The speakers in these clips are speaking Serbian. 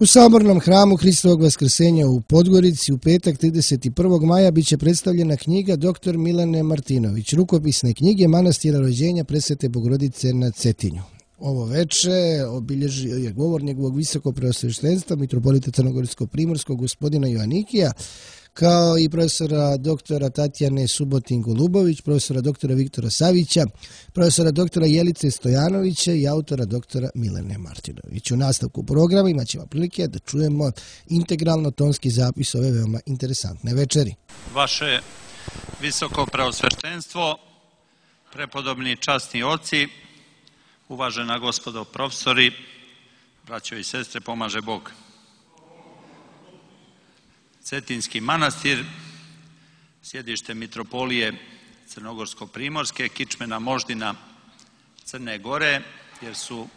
U Sabornom hramu Hristovog Vaskrsenja u Podgorici u petak 31. maja bit će predstavljena knjiga dr. Milene Martinović, rukopisne knjige Manastira rođenja Presvete Bogorodice na Cetinju. Ovo veče obilježio je govor njegovog visokog preosveštenstva mitropolita Crnogorsko-primorskog gospodina Joanikija, kao i profesora doktora Tatjane Subotin-Golubović, profesora doktora Viktora Savića, profesora doktora Jelice Stojanovića i autora doktora Milene Martinović. U nastavku programa imat ćemo prilike da čujemo integralno tonski zapis ove veoma interesantne večeri. Vaše visoko preosveštenstvo, prepodobni časni oci, uvažena gospodo profesori, braćo i sestre, pomaže Bog. Cetinski manastir, sjedište mitropolije Crnogorsko-primorske, kičmena moždina Crne Gore, jer su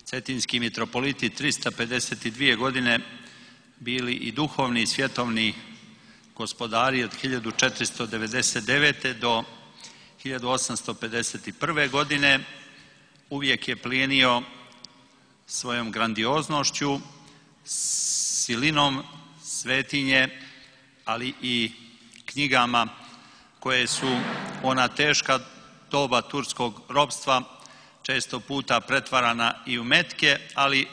cetinski mitropoliti 352 godine bili i duhovni i svjetovni gospodari od 1499. do 1851. godine. Uvijek je plijenio svojom grandioznošću, silinom svetinje, ali i knjigama koje su ona teška doba turskog ropstva često puta pretvarana i u metke, ali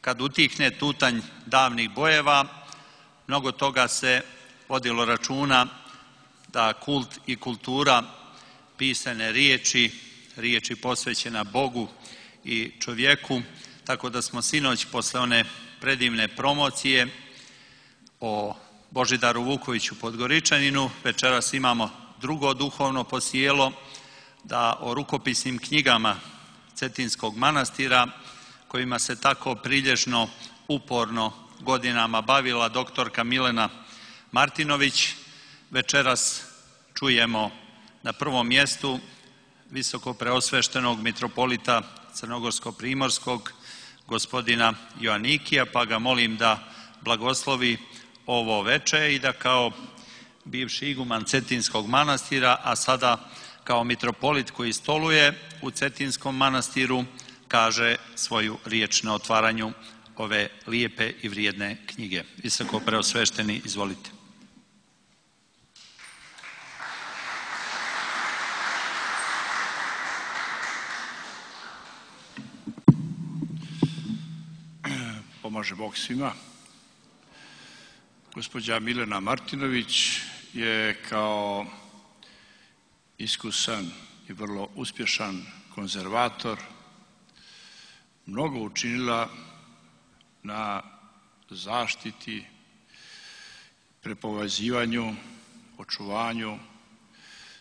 kad utihne tutanj davnih bojeva, mnogo toga se vodilo računa da kult i kultura pisane riječi posvećena Bogu i čovjeku, tako da smo sinoć posle one predivne promocije o Božidaru Vukoviću Podgoričaninu, večeras imamo drugo duhovno posijelo, da o rukopisnim knjigama Cetinskog manastira, kojima se tako prilježno, uporno godinama bavila doktorka Milena Martinović, večeras čujemo na prvom mjestu visoko preosveštenog mitropolita Crnogorsko-primorskog gospodina Joanikija, pa ga molim da blagoslovi ovo veče i da kao bivši iguman Cetinskog manastira, a sada kao mitropolit koji stoluje u Cetinskom manastiru, kaže svoju riječ na otvaranju ove lijepe i vrijedne knjige. Visoko preosvešteni, izvolite. Pomaže Bog svima. Gospođa Milena Martinović je kao iskusan i vrlo uspješan konzervator mnogo učinila na zaštiti, prepovezivanju, očuvanju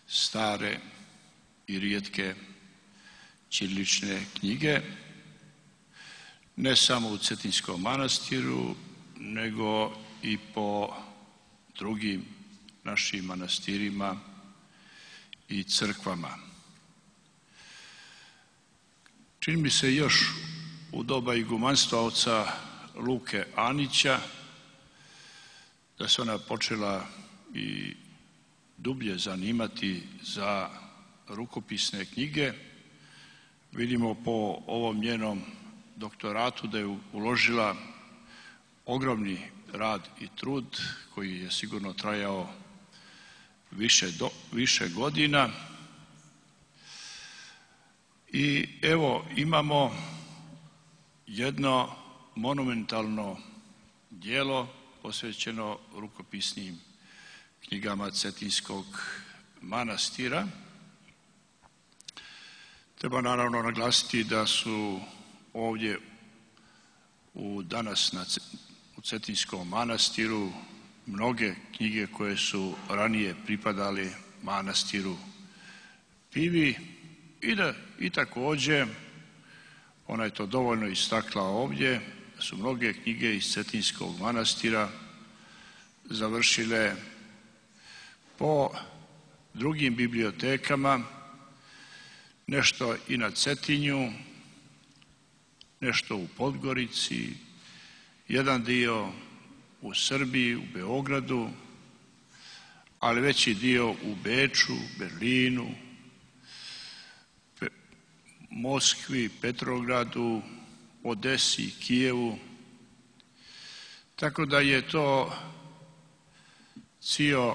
stare i rijetke ćirilične knjige, ne samo u Cetinskom manastiru, nego i po drugim našim manastirima i crkvama. Čini mi se još u doba igumanstva oca Luke Anića da se ona počela i dublje zanimati za rukopisne knjige. Vidimo po ovom njenom doktoratu da je uložila ogromni rad i trud koji je sigurno trajao više godina. I evo imamo jedno monumentalno djelo posvećeno rukopisnim knjigama Cetinskog manastira. Treba naravno naglasiti da su ovdje danas u Cetinskom manastiru mnoge knjige koje su ranije pripadale manastiru Pivi i također, ona je to dovoljno istakla ovdje, da su mnoge knjige iz Cetinskog manastira završile po drugim bibliotekama, nešto i na Cetinju, nešto u Podgorici, jedan dio u Srbiji, u Beogradu, ali veći dio u Beču, Berlinu, Moskvi, Petrogradu, Odesi, Kijevu Tako da je to cijel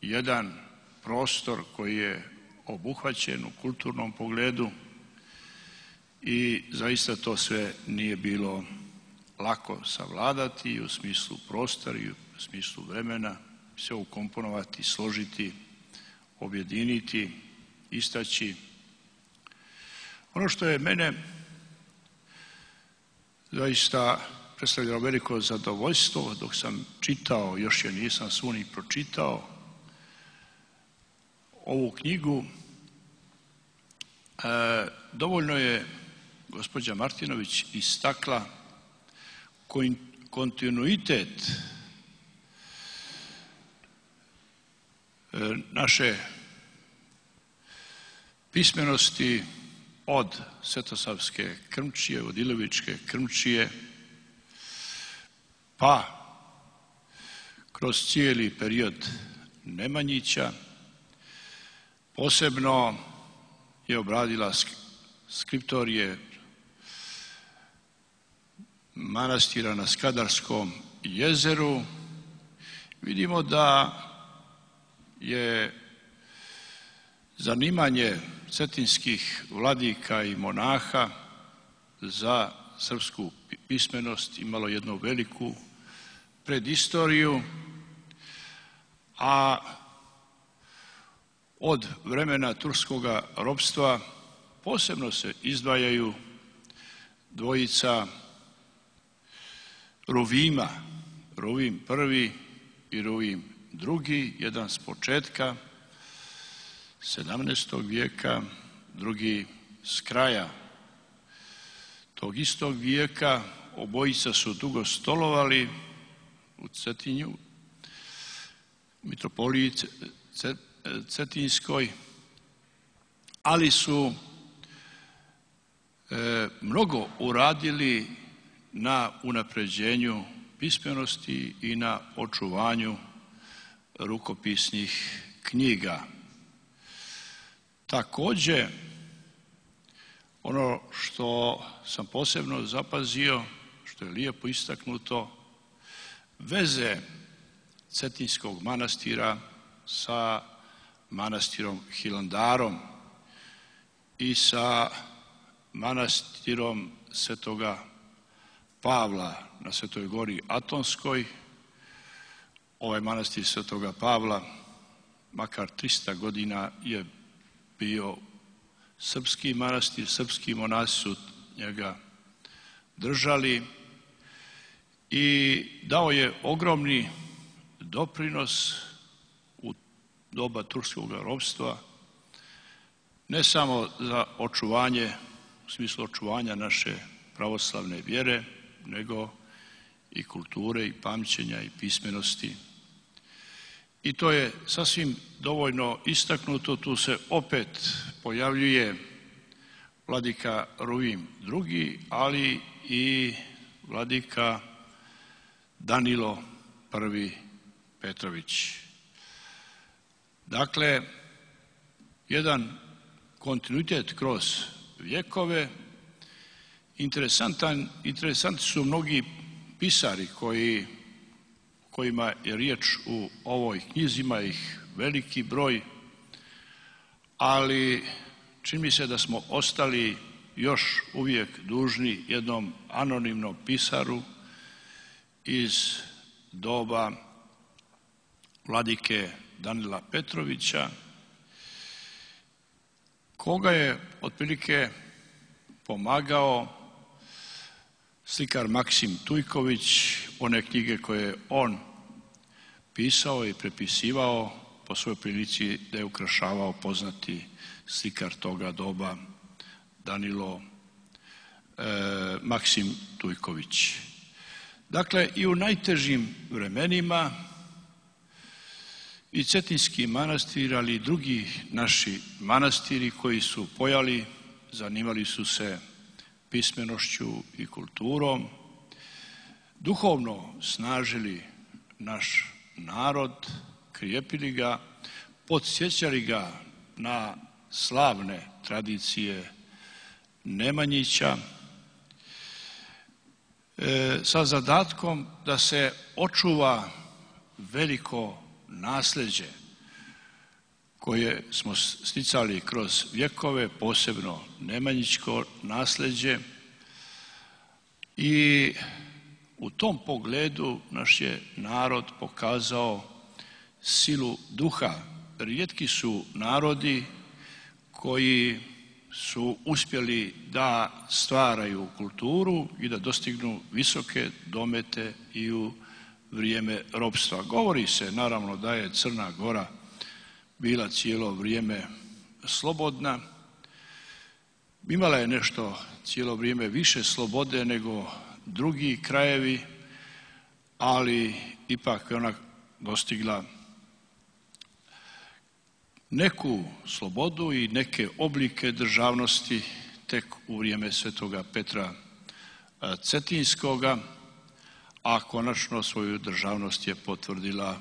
jedan prostor koji je obuhvaćen u kulturnom pogledu i zaista to sve nije bilo lako savladati u smislu prostora i u smislu vremena, sve ukomponovati, složiti, objediniti, istaći. Ono što je mene zaista predstavljalo veliko zadovoljstvo dok sam čitao, još je nisam svu ni pročitao, ovu knjigu, dovoljno je gospođa Martinović istakla kontinuitet naše pismenosti od Svetosavske krmčije, od Ilovičke krmčije, pa kroz cijeli period Nemanjića. Posebno je obradila skriptorije manastira na Skadarskom jezeru. Vidimo da je zanimanje cetinskih vladika i monaha za srpsku pismenost imalo jednu veliku predistoriju, a od vremena turskoga ropstva posebno se izdvajaju dvojica Ruvima, Ruvim prvi i Ruvim drugi, jedan s početka 17. vijeka, drugi s kraja tog istog vijeka. Obojica su dugo stolovali u Cetinju, mitropoliji Cetinskoj, ali su mnogo uradili na unapređenju pismenosti i na očuvanju rukopisnih knjiga. Također, ono što sam posebno zapazio, što je lijepo istaknuto, veze Cetinskog manastira sa manastirom Hilandarom i sa manastirom Svetoga Pavla na Svetoj gori Atonskoj. Ovaj manastir Svetoga Pavla makar 300 godina je bio srpski manastir, srpski monasi su njega držali i dao je ogromni doprinos u doba turskog ropstva, ne samo za očuvanje, u smislu očuvanja naše pravoslavne vjere, nego i kulture i pamćenja i pismenosti. I to je sasvim dovoljno istaknuto. Tu se opet pojavljuje vladika Ruvim II, ali i vladika Danilo I Petrović. Dakle, jedan kontinuitet kroz vjekove. Interesantni su mnogi pisari kojima je riječ u ovoj knjizi, ima ih veliki broj, ali čini mi se da smo ostali još uvijek dužni jednom anonimnom pisaru iz doba vladike Danila Petrovića, koga je otprilike pomagao slikar Maksim Tujković. One knjige koje je on pisao i prepisivao po svojoj prilici da je ukrašavao poznati slikar toga doba Danilo Maksim Tujković. Dakle, i u najtežim vremenima i Cetinski manastir, ali i drugi naši manastiri koji su pojali, zanimali su se pismenošću i kulturom, duhovno snažili naš narod, krijepili ga, podsjećali ga na slavne tradicije Nemanjića. sa zadatkom da se očuva veliko nasljeđe koje smo sticali kroz vjekove, posebno nemanjičko nasljeđe, i u tom pogledu naš je narod pokazao silu duha. Rijetki su narodi koji su uspjeli da stvaraju kulturu i da dostignu visoke domete i u vrijeme ropstva. Govori se naravno da je Crna Gora bila cijelo vrijeme slobodna, imala je nešto cijelo vrijeme više slobode nego drugi krajevi, ali ipak je ona dostigla neku slobodu i neke oblike državnosti tek u vrijeme Svetoga Petra Cetinskoga, a konačno svoju državnost je potvrdila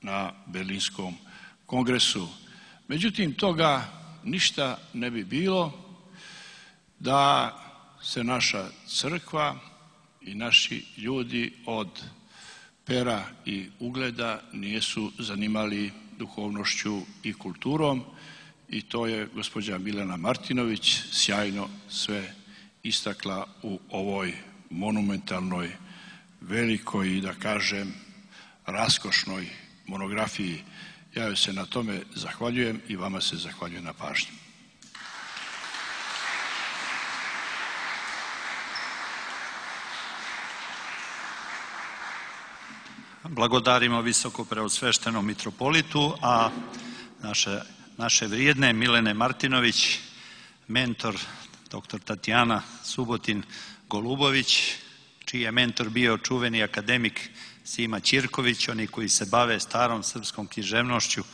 na Berlinskom kongresu. Međutim, toga ništa ne bi bilo da se naša crkva i naši ljudi od pera i ugleda nisu zanimali duhovnošću i kulturom, i to je gospođa Milena Martinović sjajno sve istakla u ovoj monumentalnoj, velikoj i da kažem raskošnoj monografiji. Ja joj se na tome zahvaljujem i vama se zahvaljujem na pažnji. Blagodarimo visoko preosveštenom mitropolitu, a naše vrijedne Milene Martinović, mentor dr. Tatjana Subotin Golubović, čiji je mentor bio čuveni akademik Sima Ćirković. Oni koji se bave starom srpskom književnošću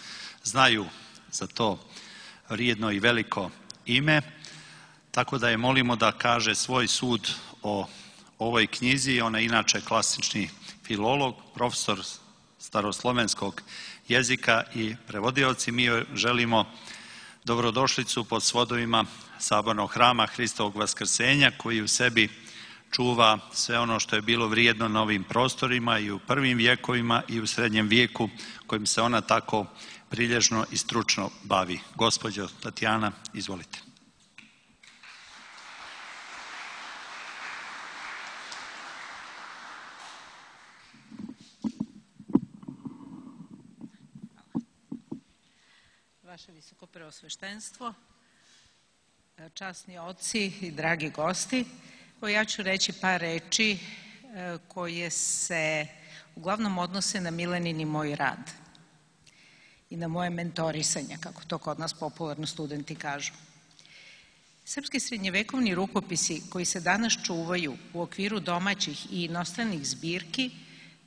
znaju za to vrijedno i veliko ime, tako da je molimo da kaže svoj sud o ovoj knjizi. Ona je inače klasični filolog, profesor staroslovenskog jezika i prevodioci. Mi joj želimo dobrodošlicu pod svodovima Sabornog hrama Hristovog Vaskrsenja, koji u sebi čuva sve ono što je bilo vrijedno na ovim prostorima i u prvim vjekovima i u srednjem vijeku, kojim se ona tako prilježno i stručno bavi. Gospođo Tatjana, izvolite. Vaše visoko preosveštenstvo, časni oci i dragi gosti, ja ću reći par reči koje se uglavnom odnose na Milenin i moj rad i na moje mentorisanje, kako to kod nas popularno studenti kažu. Srpski srednjevekovni rukopisi koji se danas čuvaju u okviru domaćih i inostranih zbirki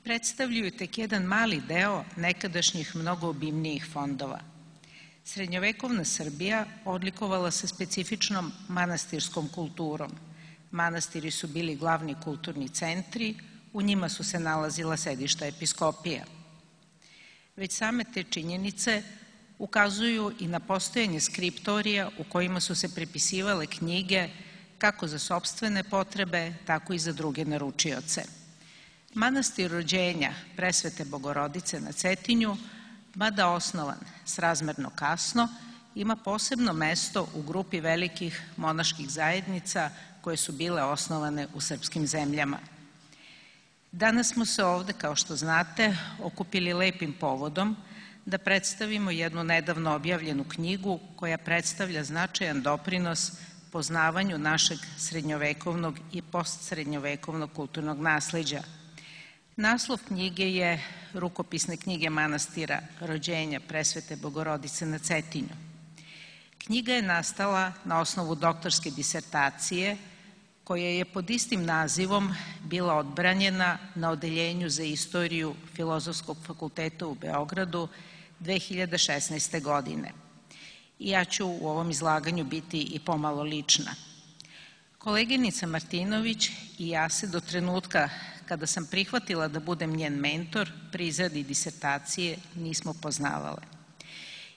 predstavljaju tek jedan mali deo nekadašnjih mnogo obimnijih fondova. Srednjovekovna Srbija odlikovala se specifičnom manastirskom kulturom. Manastiri su bili glavni kulturni centri, u njima su se nalazila sedišta episkopija. Već same te činjenice ukazuju i na postojanje skriptorija u kojima su se prepisivale knjige kako za sopstvene potrebe, tako i za druge naručioce. Manastir rođenja Presvete Bogorodice na Cetinju, mada osnovan srazmerno kasno, ima posebno mesto u grupi velikih monaških zajednica koje su bile osnovane u srpskim zemljama. Danas smo se ovde, kao što znate, okupili lepim povodom da predstavimo jednu nedavno objavljenu knjigu koja predstavlja značajan doprinos poznavanju našeg srednjovekovnog i postsrednjovekovnog kulturnog nasleđa. Naslov knjige je Rukopisne knjige manastira rođenja Presvete Bogorodice na Cetinju. Knjiga je nastala na osnovu doktorske disertacije koja je pod istim nazivom bila odbranjena na Odeljenju za istoriju Filozofskog fakulteta u Beogradu 2016. godine. I ja ću u ovom izlaganju biti i pomalo lična. Koleginica Martinović i ja se do trenutka kada sam prihvatila da budem njen mentor pri izradi disertacije nismo poznavale.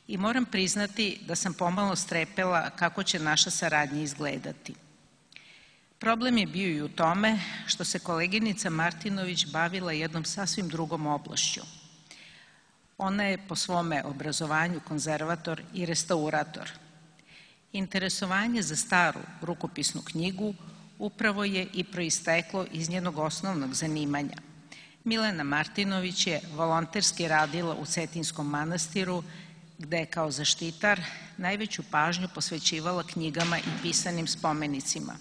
I moram priznati da sam pomalo strepela kako će naša saradnja izgledati. Problem je bio i u tome što se koleginica Martinović bavila jednom sasvim drugom oblašću. Ona je po svome obrazovanju konzervator i restaurator. Interesovanje za staru rukopisnu knjigu upravo je i proisteklo iz njenog osnovnog zanimanja. Milena Martinović je volonterski radila u Cetinskom manastiru, gde je kao zaštitar najveću pažnju posvećivala knjigama i pisanim spomenicima.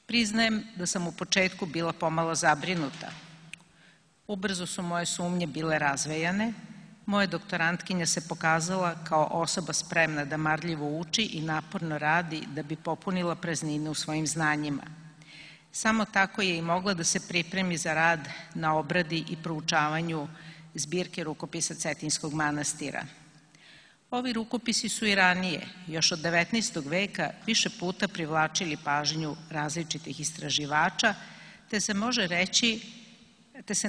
Priznajem da sam u početku bila pomalo zabrinuta. Ubrzo su moje sumnje bile razvejane. Moja doktorantkinja se pokazala kao osoba spremna da marljivo uči i naporno radi da bi popunila praznine u svojim znanjima. Samo tako je i mogla da se pripremi za rad na obradi i proučavanju zbirke rukopisa Cetinskog manastira. Ovi rukopisi su i ranije, još od 19. veka, više puta privlačili pažnju različitih istraživača, te se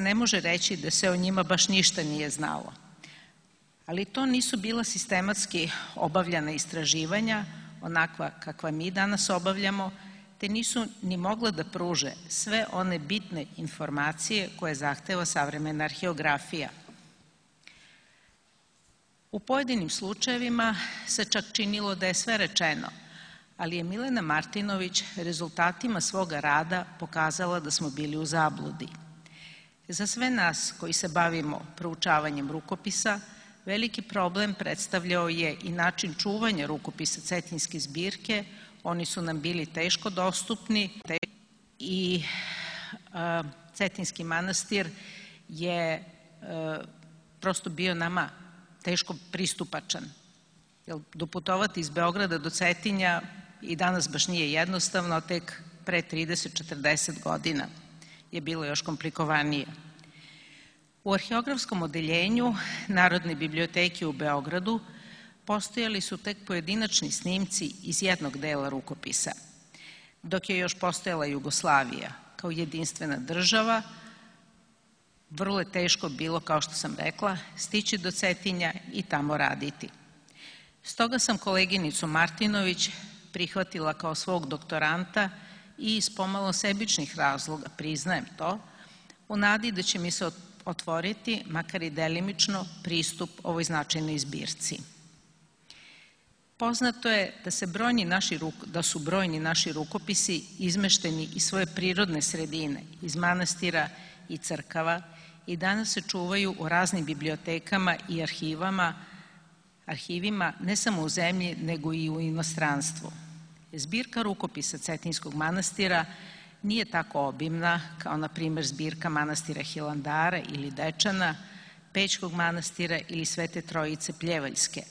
ne može reći da se o njima baš ništa nije znalo. Ali to nisu bila sistematski obavljana istraživanja, onakva kakva mi danas obavljamo, te nisu ni mogla da pruže sve one bitne informacije koje zahteva savremena arheografija. U pojedinim slučajevima se čak činilo da je sve rečeno, ali je Milena Martinović rezultatima svoga rada pokazala da smo bili u zabludi. Za sve nas koji se bavimo proučavanjem rukopisa, veliki problem predstavljao je i način čuvanja rukopisa Cetinske zbirke. Oni su nam bili teško dostupni i Cetinski manastir je prosto bio nama teško pristupačan. Doputovati iz Beograda do Cetinja i danas baš nije jednostavno, tek pre 30-40 godina je bilo još komplikovanije. U arheografskom odeljenju Narodne biblioteke u Beogradu postojali su tek pojedinačni snimci iz jednog dela rukopisa, dok je još postojala Jugoslavija kao jedinstvena država. Vrlo je teško bilo, kao što sam rekla, stići do Cetinja i tamo raditi. Stoga sam koleginicu Martinović prihvatila kao svog doktoranta i iz pomalo sebičnih razloga, priznajem to, u nadi da će mi se otvoriti, makar i delimično, pristup ovoj značajnoj zbirci. Poznato je da su brojni naši rukopisi izmešteni iz svoje prirodne sredine, iz manastira i crkava, i danas se čuvaju u raznim bibliotekama i arhivima ne samo u zemlji, nego i u inostranstvu. Zbirka rukopisa Cetinskog manastira nije tako obimna kao, na primjer, zbirka manastira Hilandara ili Dečana, Pećkog manastira ili Svete Trojice Pljevaljske,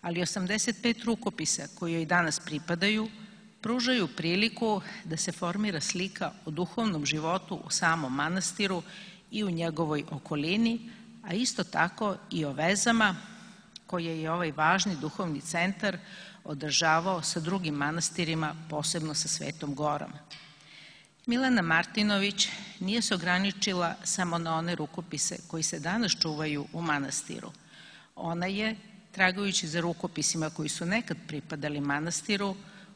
ali 85 rukopisa koji joj danas pripadaju pružaju priliku da se formira slika o duhovnom životu u samom manastiru i u njegovoj okolini, a isto tako i o vezama koje je ovaj važni duhovni centar održavao sa drugim manastirima, posebno sa Svetom Gorom. Milena Martinović nije se ograničila samo na one rukopise koji se danas čuvaju u manastiru. Ona je, tragajući za rukopisima koji su nekad pripadali manastiru,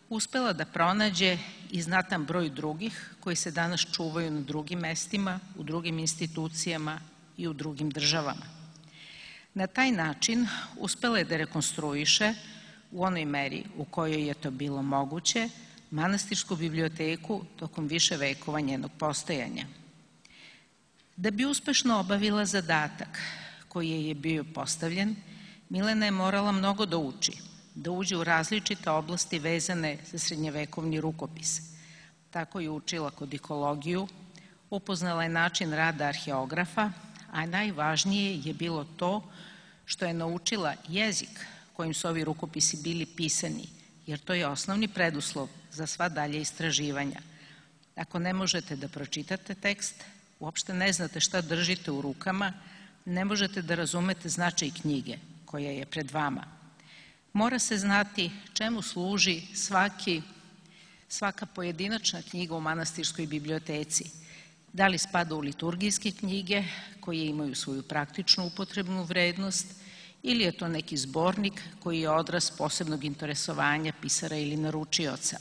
uspela da pronađe i znatan broj drugih koji se danas čuvaju na drugim mestima, u drugim institucijama i u drugim državama. Na taj način uspela je da rekonstruiše, u onoj meri u kojoj je to bilo moguće, manastirsku biblioteku tokom više vekova njenog postojanja. Da bi uspešno obavila zadatak koji je bio postavljen, Milena je morala mnogo da uči, da uđe u različite oblasti vezane za srednjevekovni rukopis. Tako je učila kodikologiju, upoznala je način rada arheografa, a najvažnije je bilo to što je naučila jezik kojim su ovi rukopisi bili pisani, jer to je osnovni preduslov za sva dalje istraživanja. Ako ne možete da pročitate tekst, uopšte ne znate šta držite u rukama, ne možete da razumete značaj knjige koja je pred vama. Mora se znati čemu služi svaka pojedinačna knjiga u manastirskoj biblioteci. Da li spada u liturgijske knjige koje imaju svoju praktičnu upotrebnu vrednost ili je to neki zbornik koji je odraz posebnog interesovanja pisara ili naručioca.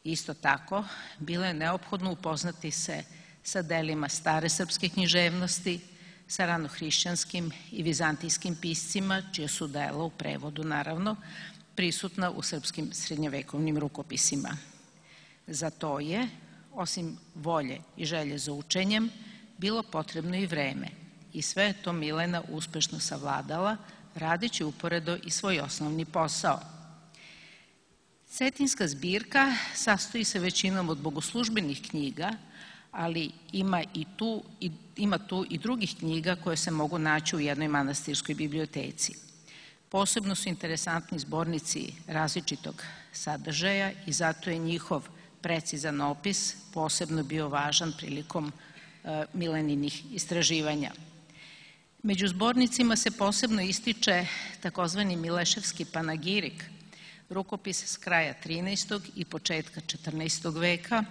Isto tako, bilo je neophodno upoznati se sa delima stare srpske književnosti, sa ranohrišćanskim i vizantijskim piscima, čije su dela u prevodu, naravno, prisutna u srpskim srednjevekovnim rukopisima. Za to je, osim volje i želje za učenjem, bilo potrebno i vreme. I sve je to Milena uspešno savladala, radeći uporedo i svoj osnovni posao. Cetinjska zbirka sastoji se većinom od bogoslužbenih knjiga, ali ima tu i drugih knjiga koje se mogu naći u jednoj manastirskoj biblioteci. Posebno su interesantni zbornici različitog sadržaja i zato je njihov precizan opis posebno bio važan prilikom Mileninih istraživanja. Među zbornicima se posebno ističe takozvani Mileševski panagirik, rukopis s kraja 13. i početka 14. veka,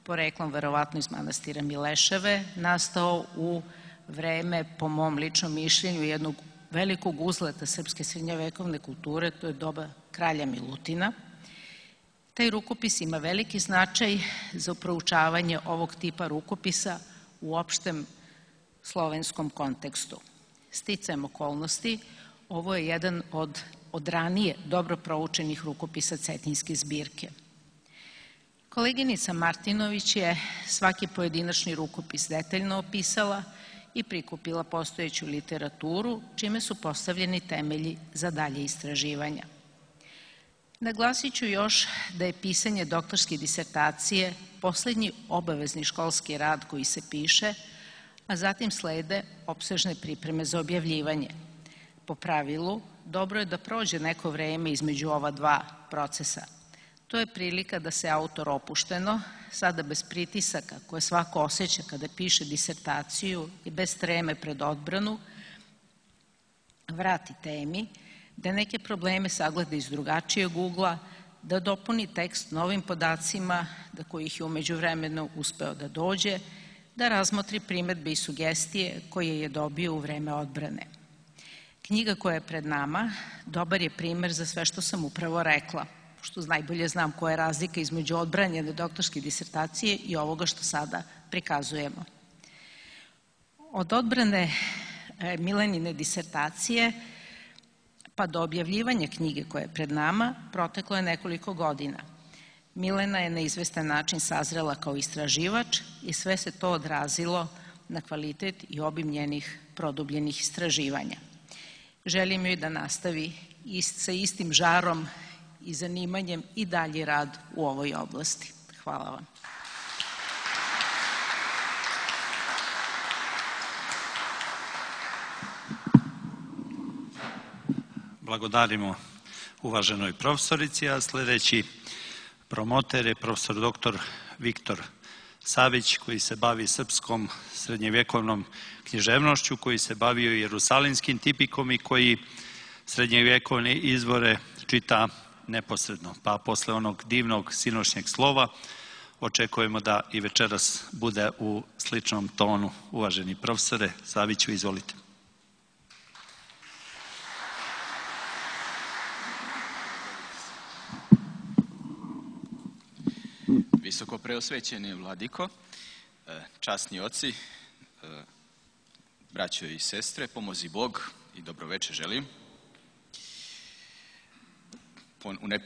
poreklom verovatno iz manastira Mileševe, nastao u vreme, po mom ličnom mišljenju, jednog velikog uzleta srpske srednjovekovne kulture, to je doba kralja Milutina. Taj rukopis ima veliki značaj za proučavanje ovog tipa rukopisa u opštem slovenskom kontekstu. Sticajem okolnosti, ovo je jedan od ranije dobro proučenih rukopisa Cetinjske zbirke. Koleginica Martinović je svaki pojedinačni rukopis detaljno opisala i prikupila postojeću literaturu, čime su postavljeni temelji za dalje istraživanja. Naglasit ću još da je pisanje doktorske disertacije poslednji obavezni školski rad koji se piše, a zatim slede opsežne pripreme za objavljivanje. Po pravilu, dobro je da prođe neko vreme između ova dva procesa. To je prilika da se autor opušteno, sada bez pritisaka koje svako osjeća kada piše disertaciju i bez treme pred odbranu, vrati temi, da neke probleme sagleda iz drugačijeg ugla, da dopuni tekst novim podacima, do kojih je umeđu vremenu uspeo da dođe, da razmotri primedbe i sugestije koje je dobio u vreme odbrane. Knjiga koja je pred nama dobar je primer za sve što sam upravo rekla, što najbolje znam koja je razlika između odbranjene doktorske disertacije i ovoga što sada prikazujemo. Od odbrane Milenine disertacije pa do objavljivanja knjige koja je pred nama proteklo je nekoliko godina. Milena je na izvestan način sazrela kao istraživač i sve se to odrazilo na kvalitet i obim njenih produbljenih istraživanja. Želim joj da nastavi sa istim žarom i zanimanjem i dalji rad u ovoj oblasti. Hvala vam. Blagodarimo uvaženoj profesorici, a sledeći promoter je profesor dr. Viktor Savić, koji se bavi srpskom srednjevjekovnom književnošću, koji se bavio jerusalimskim tipikom i koji srednjevjekovne izvore čita neposredno. Pa posle onog divnog sinoćnjeg slova očekujemo da i večeras bude u sličnom tonu. Uvaženi profesore Saviću, izvolite. Visoko preosvećeni vladiko, časni oci, braćo i sestre, pomozi Bog i dobroveče želim.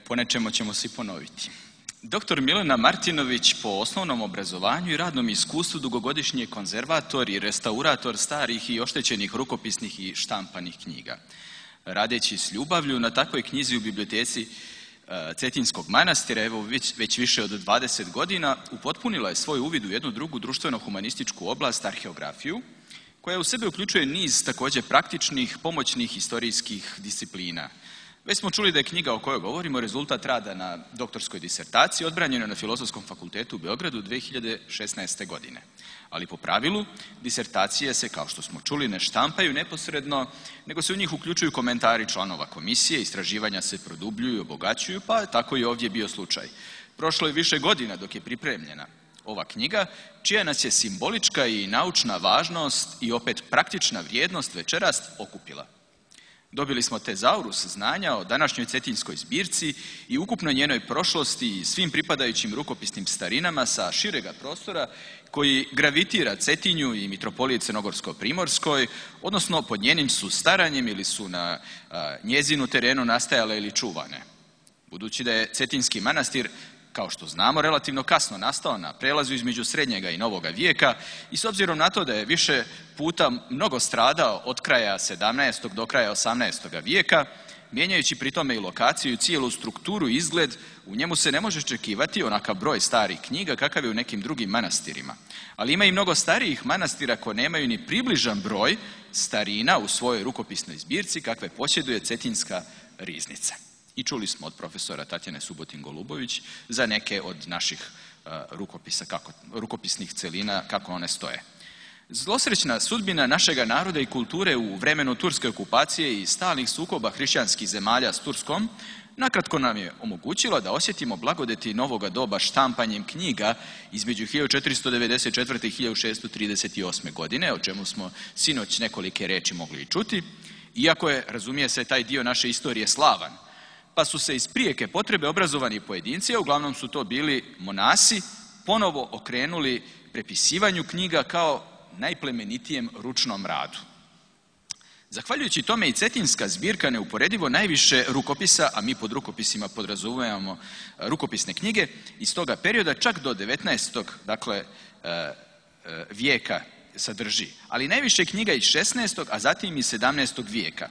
Po nečemu ćemo se i ponoviti. Doktor Milena Martinović po osnovnom obrazovanju i radnom iskustvu dugogodišnji je konzervator i restaurator starih i oštećenih rukopisnih i štampanih knjiga. Radeći s ljubavlju na takvoj knjizi u biblioteci Cetinjskog manastira, evo već više od 20 godina, upotpunila je svoj uvid u jednu drugu društveno-humanističku oblast, arheografiju, koja u sebe uključuje niz također praktičnih, pomoćnih istorijskih disciplina. Već smo čuli da je knjiga o kojoj govorimo rezultat rada na doktorskoj disertaciji odbranjenoj na Filozofskom fakultetu u Beogradu 2016. godine. Ali po pravilu, disertacije se, kao što smo čuli, ne štampaju neposredno, nego se u njih uključuju komentari članova komisije, istraživanja se produbljuju i obogaćuju, pa tako i ovdje bio slučaj. Prošlo je više godina dok je pripremljena ova knjiga, čija nas je simbolička i naučna važnost i opet praktična vrijednost večeras okupila. Dobili smo tezaurus znanja o današnjoj cetinskoj zbirci i ukupno njenoj prošlosti i svim pripadajućim rukopisnim starinama sa širega prostora koji gravitira Cetinju i Mitropoliji Crnogorsko-Primorskoj, odnosno pod njenim su staranjem ili su na njezinu terenu nastajale ili čuvane. Budući da je Cetinski manastir, kao što znamo, relativno kasno nastao na prelazu između srednjega i novoga vijeka i s obzirom na to da je više puta mnogo stradao od kraja 17. do kraja 18. vijeka, mijenjajući pri tome i lokaciju i cijelu strukturu i izgled, u njemu se ne može očekivati onakav broj starih knjiga kakav je u nekim drugim manastirima. Ali ima i mnogo starijih manastira koji nemaju ni približan broj starina u svojoj rukopisnoj zbirci kakve posjeduje Cetinska riznica. I čuli smo od profesora Tatjane Subotin-Golubović za neke od naših rukopisnih celina kako one stoje. Zlosrećna sudbina našega naroda i kulture u vremenu turske okupacije i stalnih sukoba hrišćanskih zemalja s Turskom nakratko nam je omogućila da osjetimo blagodeti novoga doba štampanjem knjiga između 1494. i 1638. godine, o čemu smo sinoć nekolike reči mogli i čuti, iako je, razumije se, taj dio naše istorije slavan. Pa su se iz prijeke potrebe obrazovani pojedinci, a uglavnom su to bili monasi, ponovo okrenuli prepisivanju knjiga kao najplemenitijem ručnom radu. Zahvaljujući tome i Cetinska zbirka neuporedivo najviše rukopisa, a mi pod rukopisima podrazumijevamo rukopisne knjige, iz toga perioda čak do 19. Vijeka sadrži, ali najviše knjiga iz 16. a zatim i 17. vijeka.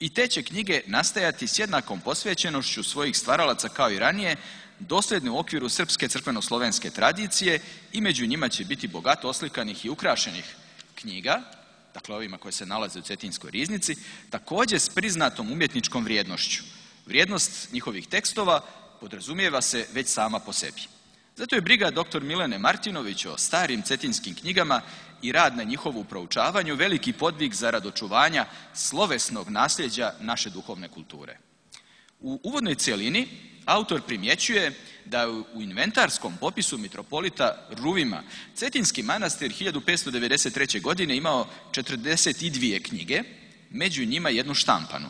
I te će knjige nastajati s jednakom posvećenošću svojih stvaralaca kao i ranije, dosljedne u okviru srpske crkveno-slovenske tradicije i među njima će biti bogato oslikanih i ukrašenih knjiga, dakle ovima koje se nalaze u Cetinskoj riznici, također s priznatom umjetničkom vrijednošću. Vrijednost njihovih tekstova podrazumijeva se već sama po sebi. Zato je briga dr. Milene Martinović o starim cetinskim knjigama i rad na njihovu proučavanju veliki podvig zarad očuvanja slovesnog nasljeđa naše duhovne kulture. U uvodnoj cjelini autor primjećuje da u inventarskom popisu mitropolita Ruvima Cetinski manastir 1593. godine imao 42 knjige, među njima jednu štampanu.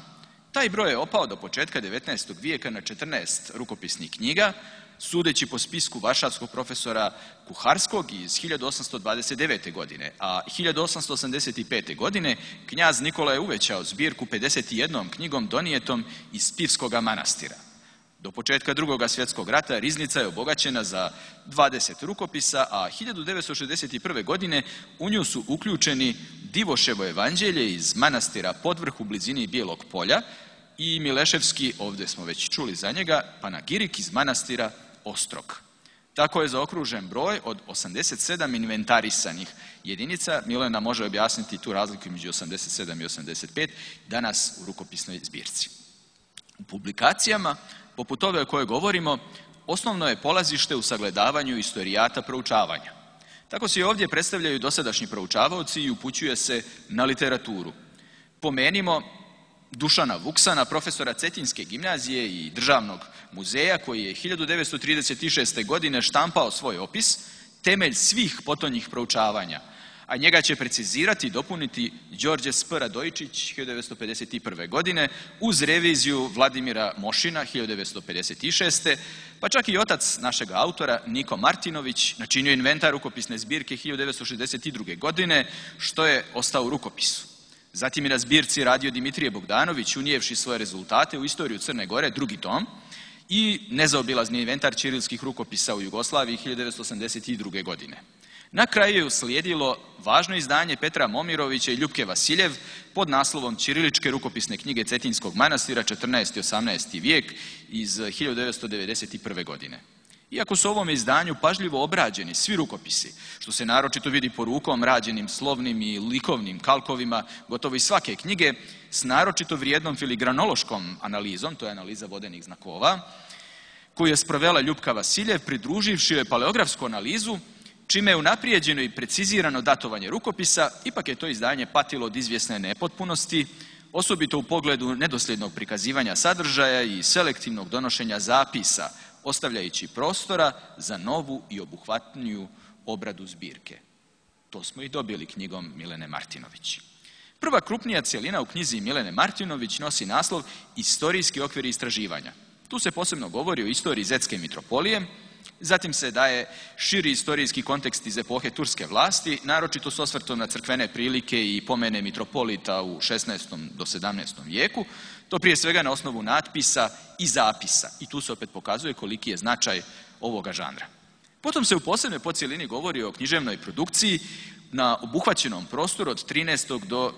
Taj broj je opao do početka 19. vijeka na 14 rukopisnih knjiga, sudeći po spisku varšavskog profesora Kuharskog iz 1829. godine, a 1885. godine knjaz Nikola je uvećao zbirku 51 knjigom donijetom iz Pivskoga manastira. Do početka Drugog svjetskog rata riznica je obogaćena za 20 rukopisa, a 1961. godine u nju su uključeni Divoševo evanđelje iz manastira Podvrh u blizini Bijelog polja i Mileševski, ovdje smo već čuli za njega, Panagirik iz manastira Ostrog. Tako je zaokružen broj od 87 inventarisanih jedinica. Milena može objasniti tu razliku između 87 i 85 danas u rukopisnoj zbirci. U publikacijama, poput ove o kojoj govorimo, osnovno je polazište u sagledavanju istorijata proučavanja. Tako se i ovdje predstavljaju dosadašnji proučavaoci i upućuje se na literaturu. Pomenimo Dušana Vuksana, profesora Cetinske gimnazije i državnog muzeja, koji je 1936. godine štampao svoj opis, temelj svih potonjih proučavanja, a njega će precizirati i dopuniti Đorđe S. Radojičić 1951. godine uz reviziju Vladimira Mošina 1956. pa čak i otac našega autora Niko Martinović načinio inventar rukopisne zbirke 1962. godine, što je ostao u rukopisu. Zatim je na zbirci radio Dimitrije Bogdanović, unijevši svoje rezultate u istoriju Crne Gore, drugi tom, i nezaobilazni inventar ćirilskih rukopisa u Jugoslaviji 1982. godine. Na kraju je uslijedilo važno izdanje Petra Momirovića i Ljupke Vasiljev pod naslovom Ćiriličke rukopisne knjige Cetinskog manastira 14. i 18. vijek iz 1991. godine. Iako su u ovome izdanju pažljivo obrađeni svi rukopisi, što se naročito vidi po rukom rađenim slovnim i likovnim kalkovima gotovo iz svake knjige, s naročito vrijednom filigranološkom analizom, to je analiza vodenih znakova, koju je sprovela Ljupka Vasiljev, pridruživši joj paleografsku analizu, čime je unaprijeđeno i precizirano datovanje rukopisa, ipak je to izdanje patilo od izvjesne nepotpunosti, osobito u pogledu nedosljednog prikazivanja sadržaja i selektivnog donošenja zapisa, ostavljajući prostora za novu i obuhvatniju obradu zbirke. To smo i dobili knjigom Milene Martinović. Prva krupnija cjelina u knjizi Milene Martinović nosi naslov Istorijski okvir istraživanja. Tu se posebno govori o istoriji Zetske mitropolije, zatim se daje širi istorijski kontekst iz epohe turske vlasti, naročito s osvrtom na crkvene prilike i pomene mitropolita u 16. do 17. vijeku, to prije svega na osnovu natpisa i zapisa. I tu se opet pokazuje koliki je značaj ovoga žanra. Potom se u posebnoj podcjelini govori o književnoj produkciji na obuhvaćenom prostoru od 13. do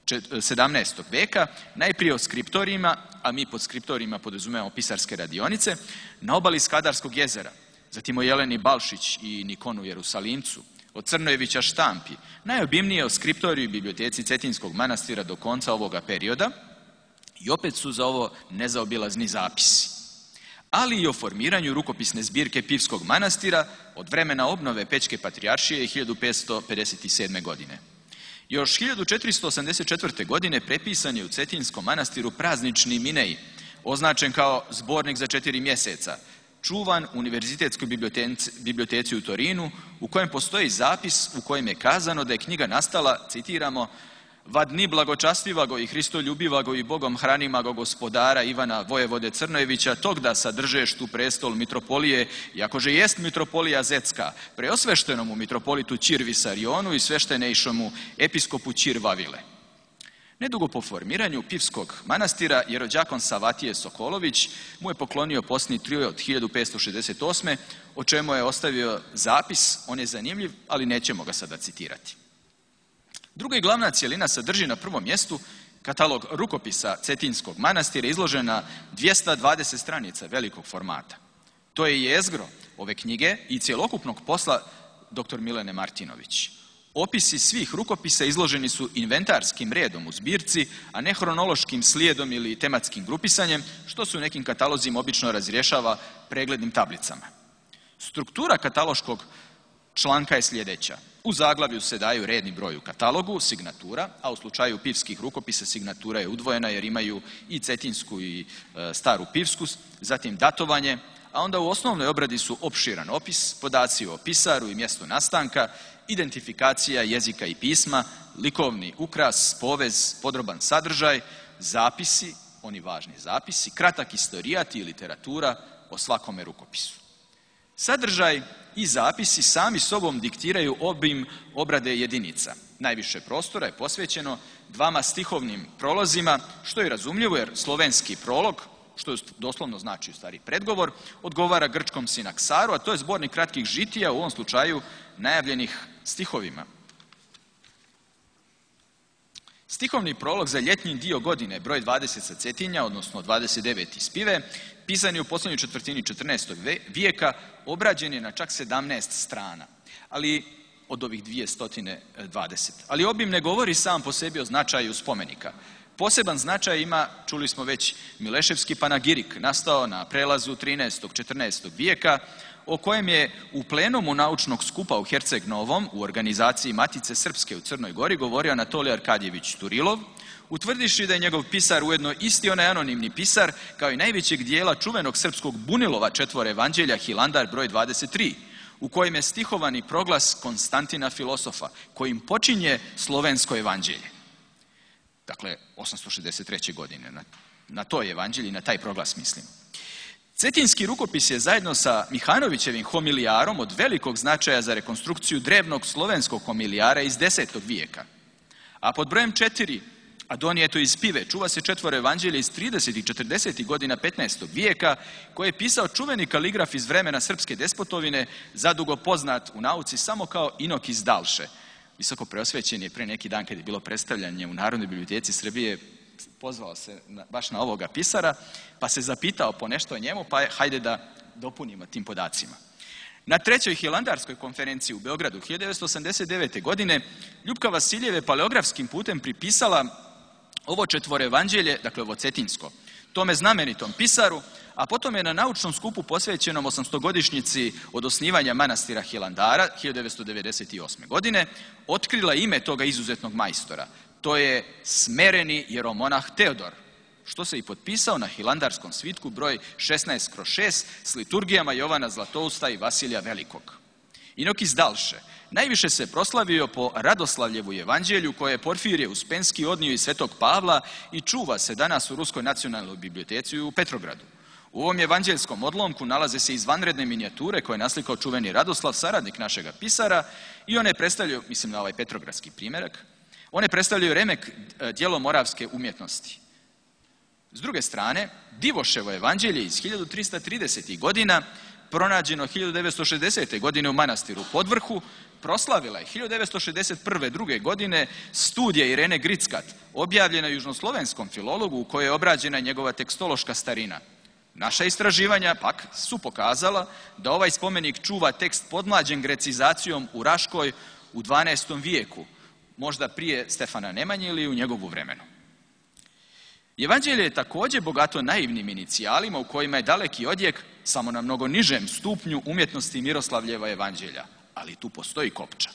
17. vijeka, najprije o skriptorijima, a mi pod skriptorijima podrazumijemo pisarske radionice, na obali Skadarskog jezera, zatim o Jeleni Balšić i Nikonu Jerusalimcu, o Crnojevića štampi, najobimnije o skriptoriju i biblioteci Cetinskog manastira do konca ovoga perioda i opet su za ovo nezaobilazni zapisi, ali i o formiranju rukopisne zbirke Pivskog manastira od vremena obnove Pećke patrijaršije 1557. godine. Još 1484. godine prepisan je u Cetinskom manastiru praznični minej, označen kao zbornik za 4 mjeseca, čuvan u Univerzitetskoj biblioteci u Torinu, u kojem postoji zapis u kojem je kazano da je knjiga nastala, citiramo, va dni blagočastivago i hristoljubivago i Bogom hranimago gospodara Ivana Vojevode Crnojevića, tog da sadržeš tu prestol mitropolije, iakože jest mitropolija Zetska, preosveštenomu mitropolitu Ćir Visarionu i sveštenejšomu episkopu Ćir Vavile. Nedugo po formiranju Pivskog manastira, jerođakon Savatije Sokolović mu je poklonio posni trio od 1568. o čemu je ostavio zapis, on je zanimljiv, ali nećemo ga sada citirati. Druga i glavna cjelina sadrži na prvom mjestu katalog rukopisa Cetinskog manastira izložen na 220 stranica velikog formata. To je jezgro ove knjige i cjelokupnog posla dr. Milene Martinović. Opisi svih rukopisa izloženi su inventarskim redom u zbirci, a ne hronološkim slijedom ili tematskim grupisanjem, što se u nekim katalozima obično razrješava preglednim tablicama. Struktura kataloškog članka je sljedeća. U zaglavlju se daju redni broj u katalogu, signatura, a u slučaju pivskih rukopisa signatura je udvojena jer imaju i cetinsku i staru pivsku, zatim datovanje, a onda u osnovnoj obradi su opširan opis, podaci o pisaru i mjestu nastanka, identifikacija jezika i pisma, likovni ukras, povez, podroban sadržaj, zapisi, oni važni zapisi, kratak istorijat i literatura o svakome rukopisu. Sadržaj i zapisi sami sobom diktiraju obim obrade jedinica. Najviše prostora je posvećeno 2 stihovnim prolozima, što je razumljivo jer slovenski prolog, što doslovno znači u stvari predgovor, odgovara grčkom sinaksaru, a to je zbornik kratkih žitija, u ovom slučaju najavljenih stihovima. Stihovni prolog za ljetni dio godine, broj 20 sa Cetinja, odnosno 29 iz Pive, pisan je u posljednjoj četvrtini 14. vijeka, obrađen je na čak 17 strana, ali od ovih 220. Ali obim ne govori sam po sebi o značaju spomenika. Poseban značaj ima, čuli smo već, Mileševski panagirik, nastao na prelazu 13. 14. vijeka, o kojem je u plenumu naučnog skupa u Herceg Novom, u organizaciji Matice Srpske u Crnoj Gori, govorio Anatolij Arkadjević Turilov, utvrdiši da je njegov pisar ujedno isti onaj anonimni pisar, kao i najvećeg dijela čuvenog srpskog bunilova 4 evanđelja Hilandar broj 23, u kojem je stihovani proglas Konstantina Filosofa, kojim počinje slovensko evanđelje. Dakle, 863. godine, na to evanđelje, na taj proglas mislim. Cetinski rukopis je zajedno sa Mihanovićevim homilijarom od velikog značaja za rekonstrukciju drevnog slovenskog homilijara iz 10. vijeka. A pod brojem 4, a donijeto iz Pive, čuva se 4 evanđelje iz 30. i 40. godina 15. vijeka, koje je pisao čuveni kaligraf iz vremena srpske despotovine, zadugo poznat u nauci samo kao Inok iz Dalše. Visoko preosvećen je pre neki dan kad je bilo predstavljanje u Narodnoj biblioteci Srbije, pozvao se baš na ovoga pisara, pa se zapitao po nešto o njemu, pa hajde da dopunimo tim podacima. Na 3. Hilandarskoj konferenciji u Beogradu 1989. godine Ljupka Vasiljev je paleografskim putem pripisala ovo 4 evanđelje, dakle ovo cetinsko, tome znamenitom pisaru, a potom je na naučnom skupu posvećenom 800-godišnjici od osnivanja manastira Hilandara 1998. godine otkrila ime toga izuzetnog majstora. To je smereni jeromonah Teodor, što se i potpisao na hilandarskom svitku broj 16/6 s liturgijama Jovana Zlatousta i Vasilija Velikog. Inokis Dalše najviše se proslavio po Radoslavljevu evanđelju koje je Porfirije Uspenski odnio iz Svetog Pavla i čuva se danas u Ruskoj nacionalnoj biblioteci u Petrogradu. U ovom evanđeljskom odlomku nalaze se izvanredne minijature koje je naslikao čuveni Radoslav, saradnik našega pisara, i one predstavljaju, mislim na ovaj petrogradski primjerak, one predstavljaju remek djelo moravske umjetnosti. S druge strane, Divoševo evanđelje iz 1330. godina, pronađeno 1960. godine u manastiru Podvrhu, proslavila je 1961. druge godine studija Irene Grickat, objavljena južnoslovenskom filologu u kojoj je obrađena njegova tekstološka starina. Naša istraživanja pak su pokazala da ovaj spomenik čuva tekst podmlađen grecizacijom u Raškoj u 12. vijeku, možda prije Stefana Nemanje ili u njegovu vremenu. Evanđelje je također bogato naivnim inicijalima u kojima je daleki odjek samo na mnogo nižem stupnju umjetnosti Miroslavljeva evanđelja, ali tu postoji kopča.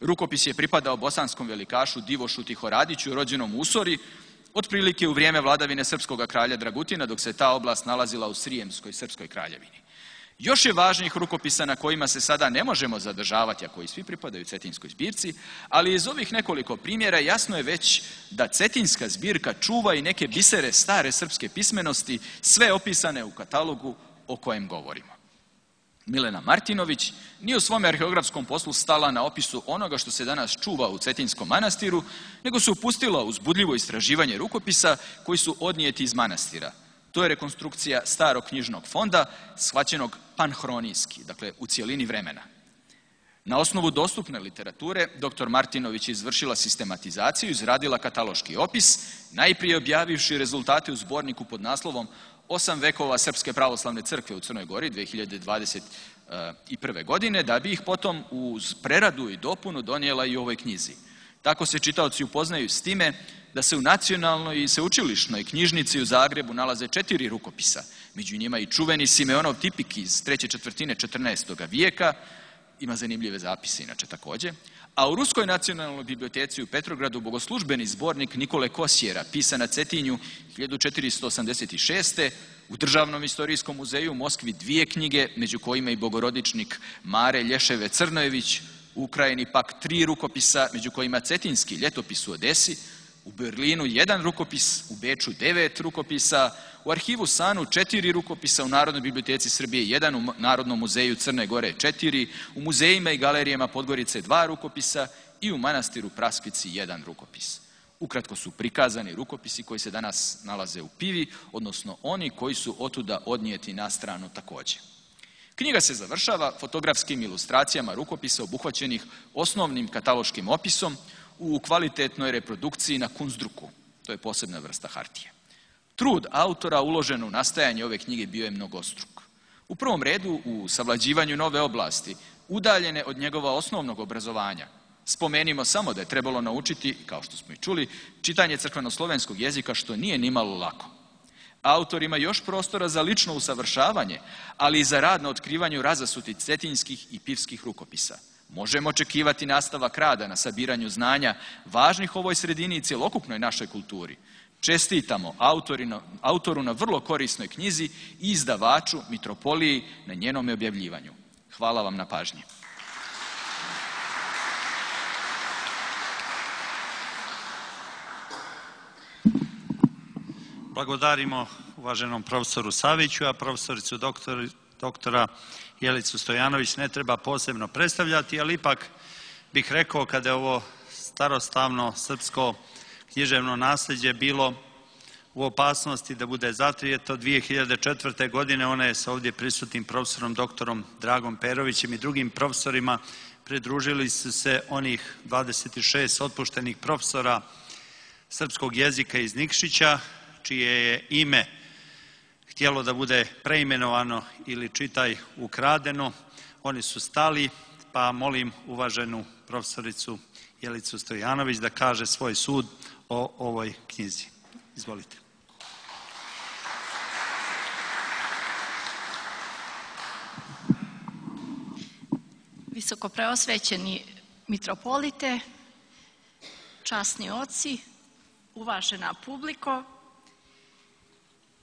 Rukopis je pripadao bosanskom velikašu Divošu Tihoradiću, rođenom u Usori, otprilike u vrijeme vladavine srpskog kralja Dragutina, dok se ta oblast nalazila u Srijemskoj srpskoj kraljevini. Još je važnijih rukopisa na kojima se sada ne možemo zadržavati, a koji svi pripadaju Cetinskoj zbirci, ali iz ovih nekoliko primjera jasno je već da Cetinska zbirka čuva i neke bisere stare srpske pismenosti, sve opisane u katalogu o kojem govorimo. Milena Martinović nije u svome arheografskom poslu stala na opisu onoga što se danas čuva u Cetinskom manastiru, nego se upustila u uzbudljivo istraživanje rukopisa koji su odnijeti iz manastira. To je rekonstrukcija starog knjižnog fonda, shvaćenog panhronijski, dakle u cijelini vremena. Na osnovu dostupne literature, dr. Martinović je izvršila sistematizaciju i izradila kataloški opis, najprije objavivši rezultate u zborniku pod naslovom 8 vekova Srpske pravoslavne crkve u Crnoj Gori 2021. godine, da bi ih potom uz preradu i dopunu donijela i u ovoj knjizi. Tako se čitaoci upoznaju s time da se u nacionalnoj i sveučilišnoj knjižnici u Zagrebu nalaze 4 rukopisa, među njima i čuveni Simeonov tipik iz 3. četvrtine 14. vijeka, ima zanimljive zapise inače također, a u Ruskoj nacionalnoj biblioteci u Petrogradu bogoslužbeni zbornik Nikole Kosjera, pisan na Cetinju 1486. U Državnom istorijskom muzeju u Moskvi 2 knjige, među kojima i bogorodičnik Mare Lješeve Crnojević, u Ukrajini pak 3 rukopisa, među kojima Cetinski ljetopis u Odesi, u Berlinu 1 rukopis, u Beču 9 rukopisa, u arhivu Sanu 4 rukopisa, u Narodnoj biblioteci Srbije 1, u Narodnom muzeju Crne Gore 4, u muzejima i galerijama Podgorice 2 rukopisa i u manastiru Praskvici 1 rukopis. Ukratko su prikazani rukopisi koji se danas nalaze u Pivi, odnosno oni koji su otuda odnijeti na stranu također. Knjiga se završava fotografskim ilustracijama rukopisa obuhvaćenih osnovnim kataloškim opisom u kvalitetnoj reprodukciji na kunstdruku. To je posebna vrsta hartije. Trud autora uložen u nastajanje ove knjige bio je mnogostruk. U prvom redu u savlađivanju nove oblasti, udaljene od njegova osnovnog obrazovanja. Spomenimo samo da je trebalo naučiti, kao što smo i čuli, čitanje crkvenoslovenskog jezika, što nije nimalo lako. Autor ima još prostora za lično usavršavanje, ali i za rad na otkrivanju razasutih cetinskih i pivskih rukopisa. Možemo očekivati nastavak rada na sabiranju znanja važnih ovoj sredini i cjelokupnoj našoj kulturi. Čestitamo autoru na vrlo korisnoj knjizi i izdavaču Mitropoliji na njenom objavljivanju. Hvala vam na pažnji. Blagodarimo uvaženom profesoru Saviću, a profesoricu doktora Jelicu Stojanović ne treba posebno predstavljati, ali ipak bih rekao kada je ovo starostavno srpsko književno nasljeđe bilo u opasnosti da bude zatrijeto 2004. godine, ona je sa ovdje prisutnim profesorom doktorom Dragom Perovićem i drugim profesorima pridružili su se onih 26 otpuštenih profesora srpskog jezika iz Nikšića, čije je ime htjelo da bude preimenovano ili čitaj ukradeno. Oni su stali, pa molim uvaženu profesoricu Jelicu Stojanović da kaže svoj sud o ovoj knjizi. Izvolite. Visoko preosvećeni mitropolite, časni oci, uvažena publiko.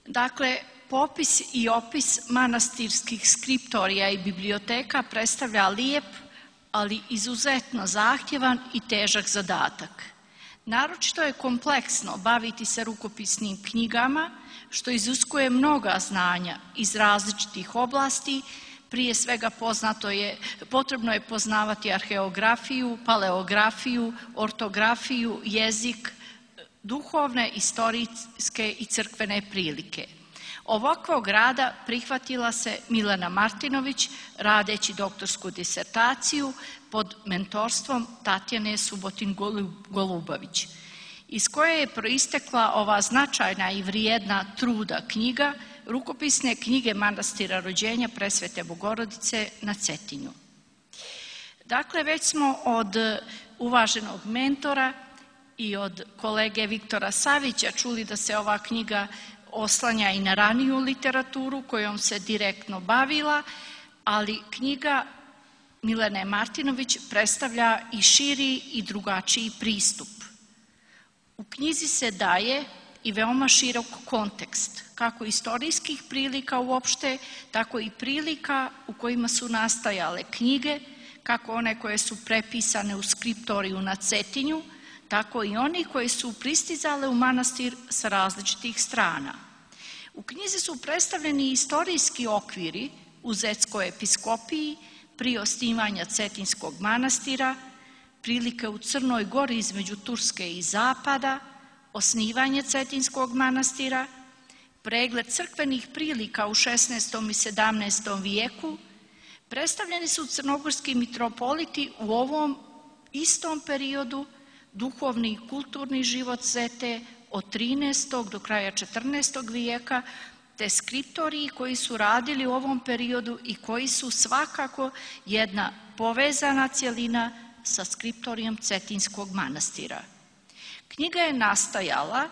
Dakle, popis i opis manastirskih skriptorija i biblioteka predstavlja lijep, ali izuzetno zahtjevan i težak zadatak. Naročito je kompleksno baviti se rukopisnim knjigama, što iziskuje mnoga znanja iz različitih oblasti. Prije svega potrebno je poznavati arheografiju, paleografiju, ortografiju, jezik, duhovne, istorijske i crkvene prilike. Ovakvog rada prihvatila se Milena Martinović radeći doktorsku disertaciju pod mentorstvom Tatjane Subotin-Golubović, iz koje je proistekla ova značajna i vrijedna truda knjiga Rukopisne knjige manastira rođenja Presvete Bogorodice na Cetinju. Dakle, već smo od uvaženog mentora i od kolege Viktora Savića čuli da se ova knjiga oslanja i na raniju literaturu kojom se direktno bavila, ali knjiga Milene Martinović predstavlja i širi i drugačiji pristup. U knjizi se daje i veoma širok kontekst, kako istorijskih prilika uopšte, tako i prilika u kojima su nastajale knjige, kako one koje su prepisane u skriptoriju na Cetinju, tako i oni koji su pristizale u manastir sa različitih strana. U knjizi su predstavljeni istorijski okviri u Zetskoj episkopiji prije osnivanja Cetinskog manastira, prilike u Crnoj Gori između Turske i Zapada, osnivanje Cetinskog manastira, pregled crkvenih prilika u 16. i 17. vijeku. Predstavljeni su crnogorski mitropoliti u ovom istom periodu, duhovni i kulturni život Zete od 13. do kraja 14. vijeka, te skriptoriji koji su radili u ovom periodu i koji su svakako jedna povezana cjelina sa skriptorijom Cetinskog manastira. Knjiga je nastajala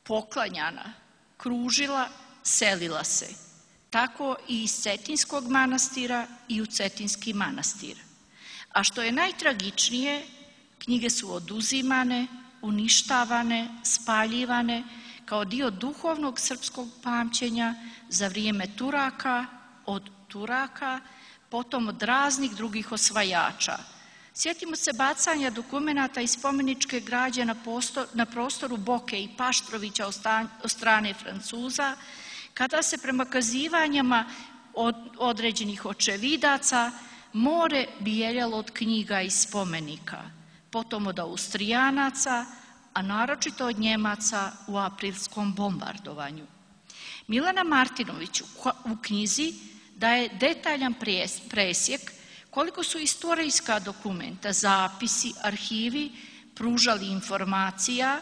poklanjana, kružila, selila se, tako i iz Cetinskog manastira i u Cetinski manastir. A što je najtragičnije, knjige su oduzimane, uništavane, spaljivane kao dio duhovnog srpskog pamćenja za vrijeme Turaka, od Turaka, potom od raznih drugih osvajača. Sjetimo se bacanja dokumenata i spomeničke građe na prostoru Boke i Paštrovića od strane Francuza, kada se prema kazivanjima određenih očevidaca more bijeljalo od knjiga i spomenika, potom od Austrijanaca, a naročito od Njemaca u aprilskom bombardovanju. Milena Martinović u knjizi daje detaljan presjek koliko su istorijska dokumenta, zapisi, arhivi pružali informacija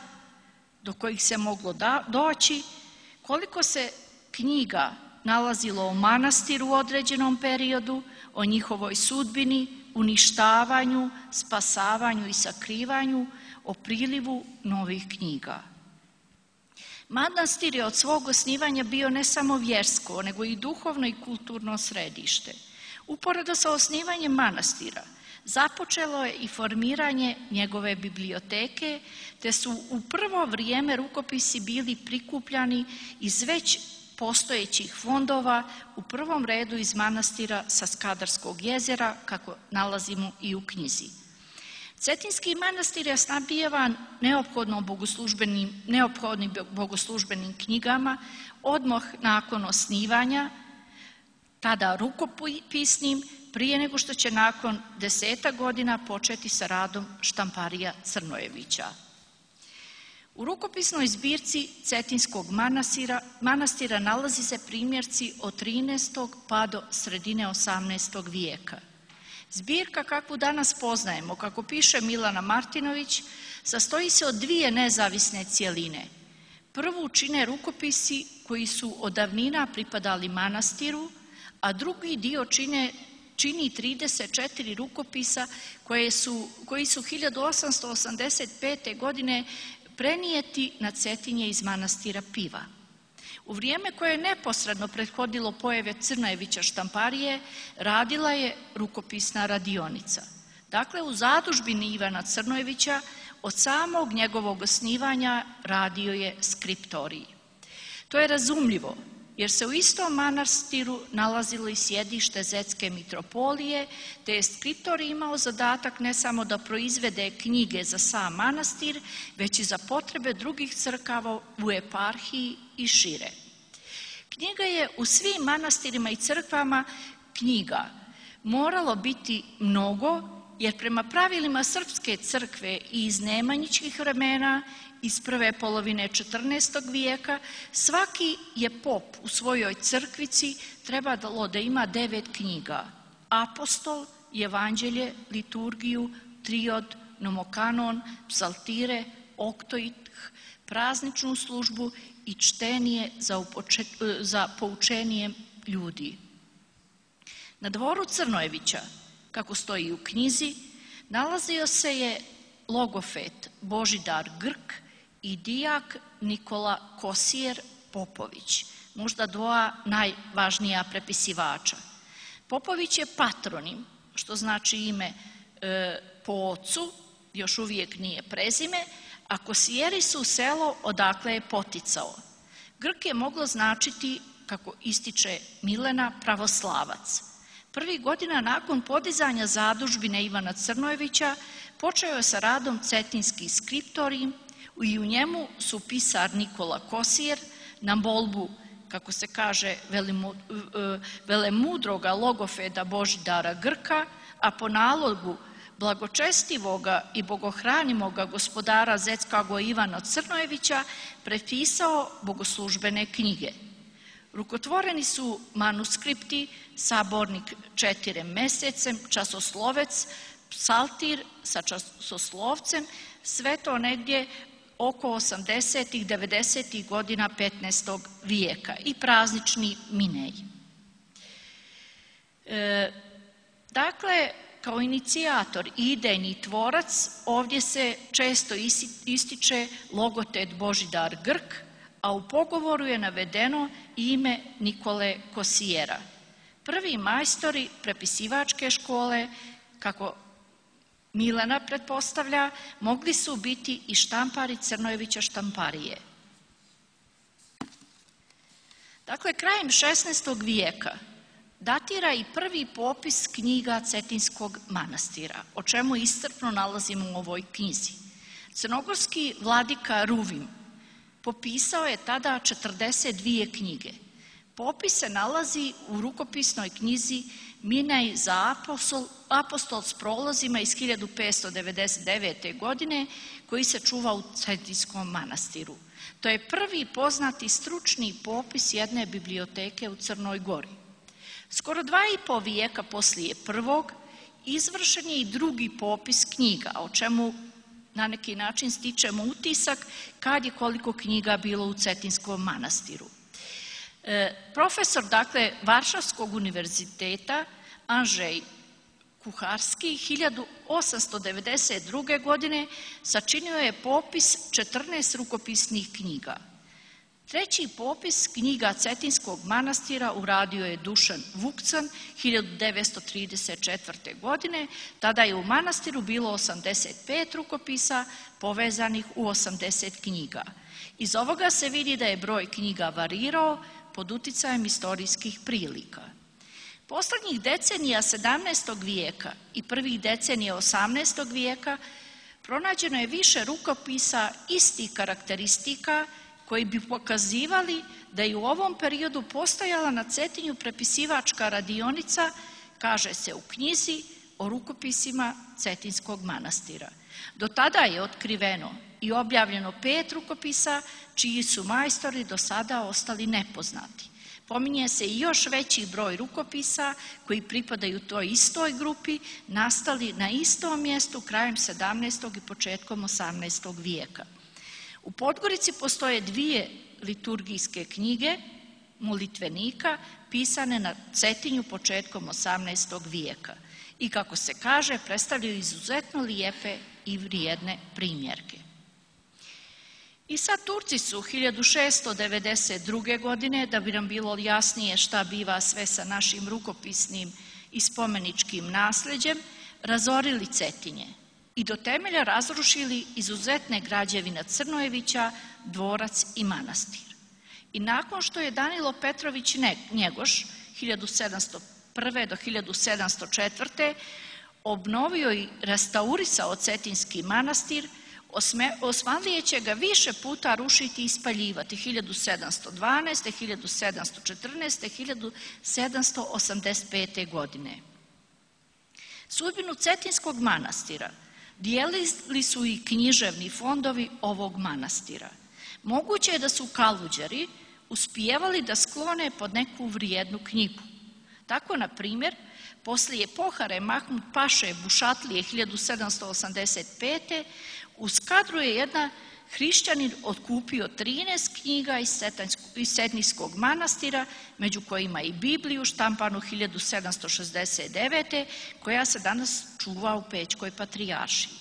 do kojih se moglo doći, koliko se knjiga nalazilo u manastiru u određenom periodu, o njihovoj sudbini, uništavanju, spasavanju i sakrivanju, o prilivu novih knjiga. Manastir je od svog osnivanja bio ne samo vjersko, nego i duhovno i kulturno središte. Uporedo sa osnivanjem manastira započelo je i formiranje njegove biblioteke, te su u prvo vrijeme rukopisi bili prikupljani iz već postojećih fondova, u prvom redu iz manastira sa Skadarskog jezera, kako nalazimo i u knjizi. Cetinski manastir je snabdijevan neophodnim bogoslužbenim knjigama odmah nakon osnivanja, tada rukopisnim, prije nego što će nakon 10 godina početi sa radom štamparija Crnojevića. U rukopisnoj zbirci Cetinskog manastira nalazi se primjerci od 13. pa do sredine 18. vijeka. Zbirka kakvu danas poznajemo, kako piše Milena Martinović, sastoji se od dvije nezavisne cjeline. Prvu čine rukopisi koji su od davnina pripadali manastiru, a drugi dio čini 34 rukopisa koji su 1885. godine prenijeti na Cetinje iz manastira Piva. U vrijeme koje je neposredno prethodilo pojave Crnojevića štamparije radila je rukopisna radionica. Dakle, u zadužbini Ivana Crnojevića od samog njegovog osnivanja radio je skriptorij. To je razumljivo, jer se u istom manastiru nalazilo i sjedište Zetske mitropolije, te je skriptor imao zadatak ne samo da proizvede knjige za sam manastir, već i za potrebe drugih crkava u eparhiji i šire. Knjiga je u svim manastirima i crkvama knjiga moralo biti mnogo, jer prema pravilima Srpske crkve i iz nemanjičkih vremena iz prve polovine 14. vijeka svaki je pop u svojoj crkvici trebalo da ima 9 knjiga: apostol, evanđelje, liturgiju, triod, nomokanon, psaltire, oktoih, prazničnu službu i čtenije za poučenije ljudi. Na dvoru Crnojevića, kako stoji u knjizi, nalazio se je logofet Božidar Grk i dijak Nikola Kosijer Popović, možda dva najvažnija prepisivača. Popović je patronim, što znači ime po ocu, još uvijek nije prezime, a Kosijeri su selo odakle je poticao. Grk je moglo značiti, kako ističe Milena, pravoslavac. Prvih godina nakon podizanja zadužbine Ivana Crnojevića počeo je sa radom cetinski skriptorij i u njemu su pisar Nikola Kosijer na molbu, kako se kaže, velemudroga logofeda Božidara Grka, a po nalogu blagočestivoga i bogohranimoga gospodara Zetskoga Ivana Crnojevića prepisao bogoslužbene knjige. Rukotvoreni su manuskripti Sabornik 4 mesecem, Časoslovec, Psaltir sa časoslovcem, sve to negdje oko 80. 90. godina 15. vijeka i praznični minej. Dakle, kao inicijator i idejni tvorac ovdje se često ističe logotet Božidar Grk, a u pogovoru je navedeno ime Nikole Kosijera. Prvi majstori prepisivačke škole, kako Milena pretpostavlja, mogli su biti i štampari Crnojevića štamparije. Dakle, krajem 16. vijeka datira i prvi popis knjiga Cetinskog manastira, o čemu iscrpno nalazimo u ovoj knjizi. Crnogorski vladika Ruvim popisao je tada 42 knjige. Popis se nalazi u rukopisnoj knjizi Minaj za apostol s prolazima iz 1599. godine koji se čuva u Cetinskom manastiru. To je prvi poznati stručni popis jedne biblioteke u Crnoj Gori. Skoro 2,5 vijeka poslije prvog izvršen je i drugi popis knjiga, o čemu na neki način stičemo utisak kad je koliko knjiga bilo u Cetinskom manastiru. Profesor, dakle, Varšavskog univerziteta Andrzej Kuharski 1892. godine sačinio je popis 14 rukopisnih knjiga. Treći popis knjiga Cetinskog manastira uradio je Dušan Vukcan 1934. godine. Tada je u manastiru bilo 85 rukopisa povezanih u 80 knjiga. Iz ovoga se vidi da je broj knjiga varirao pod uticajem istorijskih prilika. Posljednjih decenija 17. vijeka i prvih decenija 18. vijeka pronađeno je više rukopisa istih karakteristika koji bi pokazivali da je u ovom periodu postojala na Cetinju prepisivačka radionica, kaže se u knjizi o rukopisima Cetinskog manastira. Do tada je otkriveno i objavljeno 5 rukopisa čiji su majstori do sada ostali nepoznati. Pominje se i još veći broj rukopisa koji pripadaju toj istoj grupi, nastali na istom mjestu krajem 17. i početkom 18. vijeka. U Podgorici postoje 2 liturgijske knjige molitvenika pisane na Cetinju početkom 18. vijeka i, kako se kaže, predstavljaju izuzetno lijepe i vrijedne primjerke. I sad Turci su 1692. godine, da bi nam bilo jasnije šta biva sve sa našim rukopisnim i spomeničkim nasljeđem, razorili Cetinje i do temelja razrušili izuzetne građevine Crnojevića, dvorac i manastir. I nakon što je Danilo Petrović Njegoš 1701. do 1704. obnovio i restaurisao Cetinski manastir, Osmanlije će ga više puta rušiti i spaljivati 1712., 1714., 1785. godine. Sudbinu Cetinskog manastira dijelili su i književni fondovi ovog manastira. Moguće je da su Kaluđeri uspijevali da sklone pod neku vrijednu knjigu. Tako, na primjer, poslije pohare Mahmud Paše Bušatlije 1785. u Skadru je jedan hrišćanin otkupio 13 knjiga iz Cetinskog manastira, među kojima i Bibliju štampanu 1769. koja se danas čuva u Pećkoj patrijaršiji.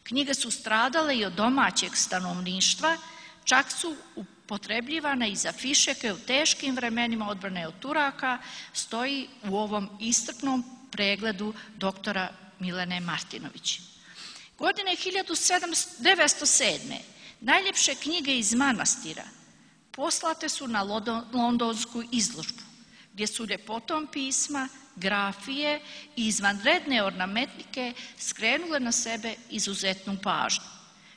Knjige su stradale i od domaćeg stanovništva, čak su upotrebljivane i za fišeke u teškim vremenima odbrane od Turaka, stoji u ovom iscrpnom pregledu doktora Milene Martinović. Godine 1907. najljepše knjige iz manastira poslate su na londonsku izložbu, gdje su ljepotom pisma, grafije i izvanredne ornamentike skrenule na sebe izuzetnu pažnju.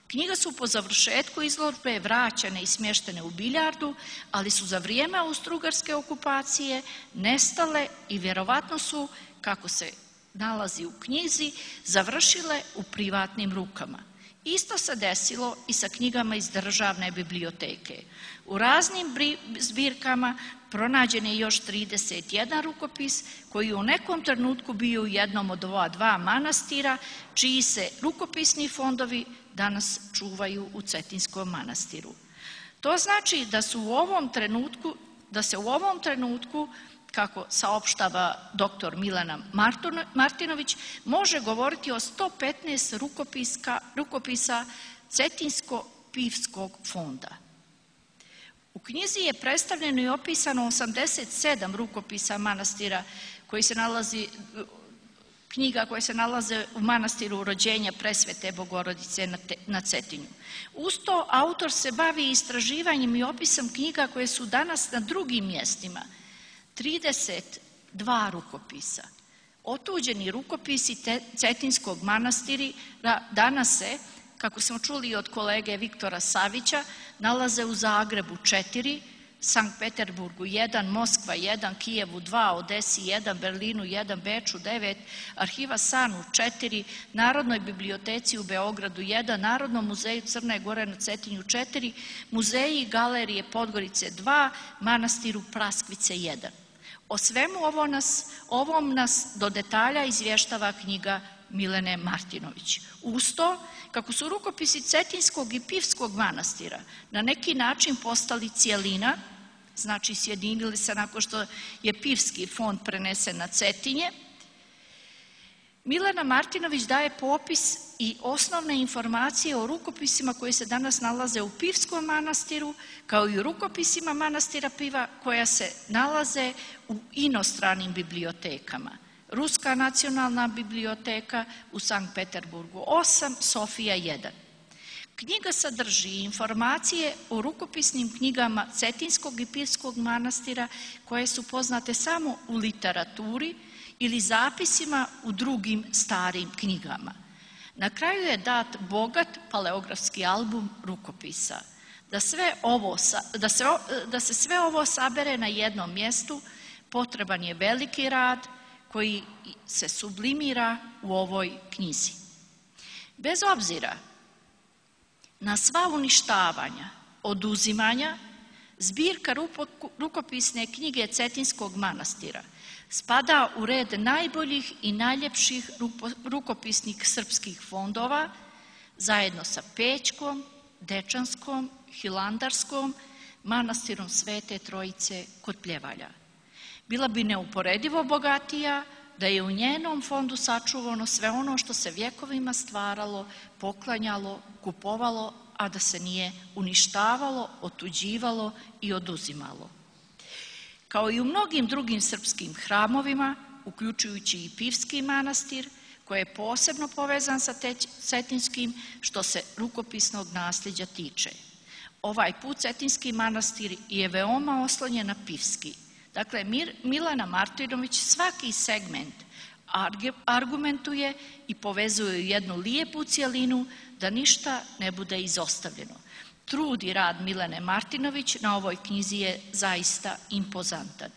Knjige su po završetku izložbe vraćene i smještene u biljardu, ali su za vrijeme austrougarske okupacije nestale i vjerovatno su, kako se nalazi u knjizi, završile u privatnim rukama. Isto se desilo i sa knjigama iz državne biblioteke. U raznim zbirkama pronađen je još 31 rukopis koji je u nekom trenutku bio u jednom od ova dva manastira, čiji se rukopisni fondovi danas čuvaju u Cetinskom manastiru. To znači da se u ovom trenutku, kako saopštava dr. Milena Martinović, može govoriti o 115 rukopisa Cetinsko-Pivskog fonda. U knjizi je predstavljeno i opisano 87 rukopisa manastira knjiga koje se nalaze u manastiru Rođenja Presvete Bogorodice na Cetinju. Uz to autor se bavi istraživanjem i opisom knjiga koje su danas na drugim mjestima. 32 rukopisa. Otuđeni rukopisi Cetinskog manastira danas se, kako smo čuli od kolege Viktora Savića, nalaze u Zagrebu 4, Sankt Peterburgu 1, Moskva 1, Kijevu 2, Odesi 1, Berlinu 1, Beču 9, Arhiva Sanu 4, Narodnoj biblioteci u Beogradu 1, Narodnom muzeju Crne Gore na Cetinju 4, Muzeji i galerije Podgorice 2, Manastiru Praskvice 1. O svemu ovom nas do detalja izvještava knjiga Milene Martinović. Uz to, kako su rukopisi Cetinskog i Pivskog manastira na neki način postali cjelina, znači sjedinili se nakon što je Pivski fond prenesen na Cetinje, Milena Martinović daje popis i osnovne informacije o rukopisima koji se danas nalaze u Pivskom manastiru, kao i u rukopisima manastira Piva koja se nalaze u inostranim bibliotekama. Ruska nacionalna biblioteka u Sankt Peterburgu 8, Sofija 1. Knjiga sadrži informacije o rukopisnim knjigama Cetinskog i Pivskog manastira koje su poznate samo u literaturi ili zapisima u drugim starim knjigama. Na kraju je dat bogat paleografski album rukopisa. Da se sve ovo sabere na jednom mjestu, potreban je veliki rad koji se sublimira u ovoj knjizi. Bez obzira na sva uništavanja, oduzimanja, zbirka rukopisne knjige Cetinskog manastira spada u red najboljih i najljepših rukopisnih srpskih fondova zajedno sa Pećkom, Dečanskom, Hilandarskom, manastirom Svete Trojice kod Pljevalja. Bila bi neuporedivo bogatija da je u njenom fondu sačuvano sve ono što se vjekovima stvaralo, poklanjalo, kupovalo, a da se nije uništavalo, otuđivalo i oduzimalo. Kao i u mnogim drugim srpskim hramovima, uključujući i Pivski manastir, koji je posebno povezan sa Cetinskim što se rukopisnog nasljeđa tiče. Ovaj put Cetinski manastir je veoma oslonjen na pivski. Dakle, Milena Martinović svaki segment argumentuje i povezuje u jednu lijepu cjelinu da ništa ne bude izostavljeno. Trud i rad Milene Martinović na ovoj knjizi je zaista impozantan.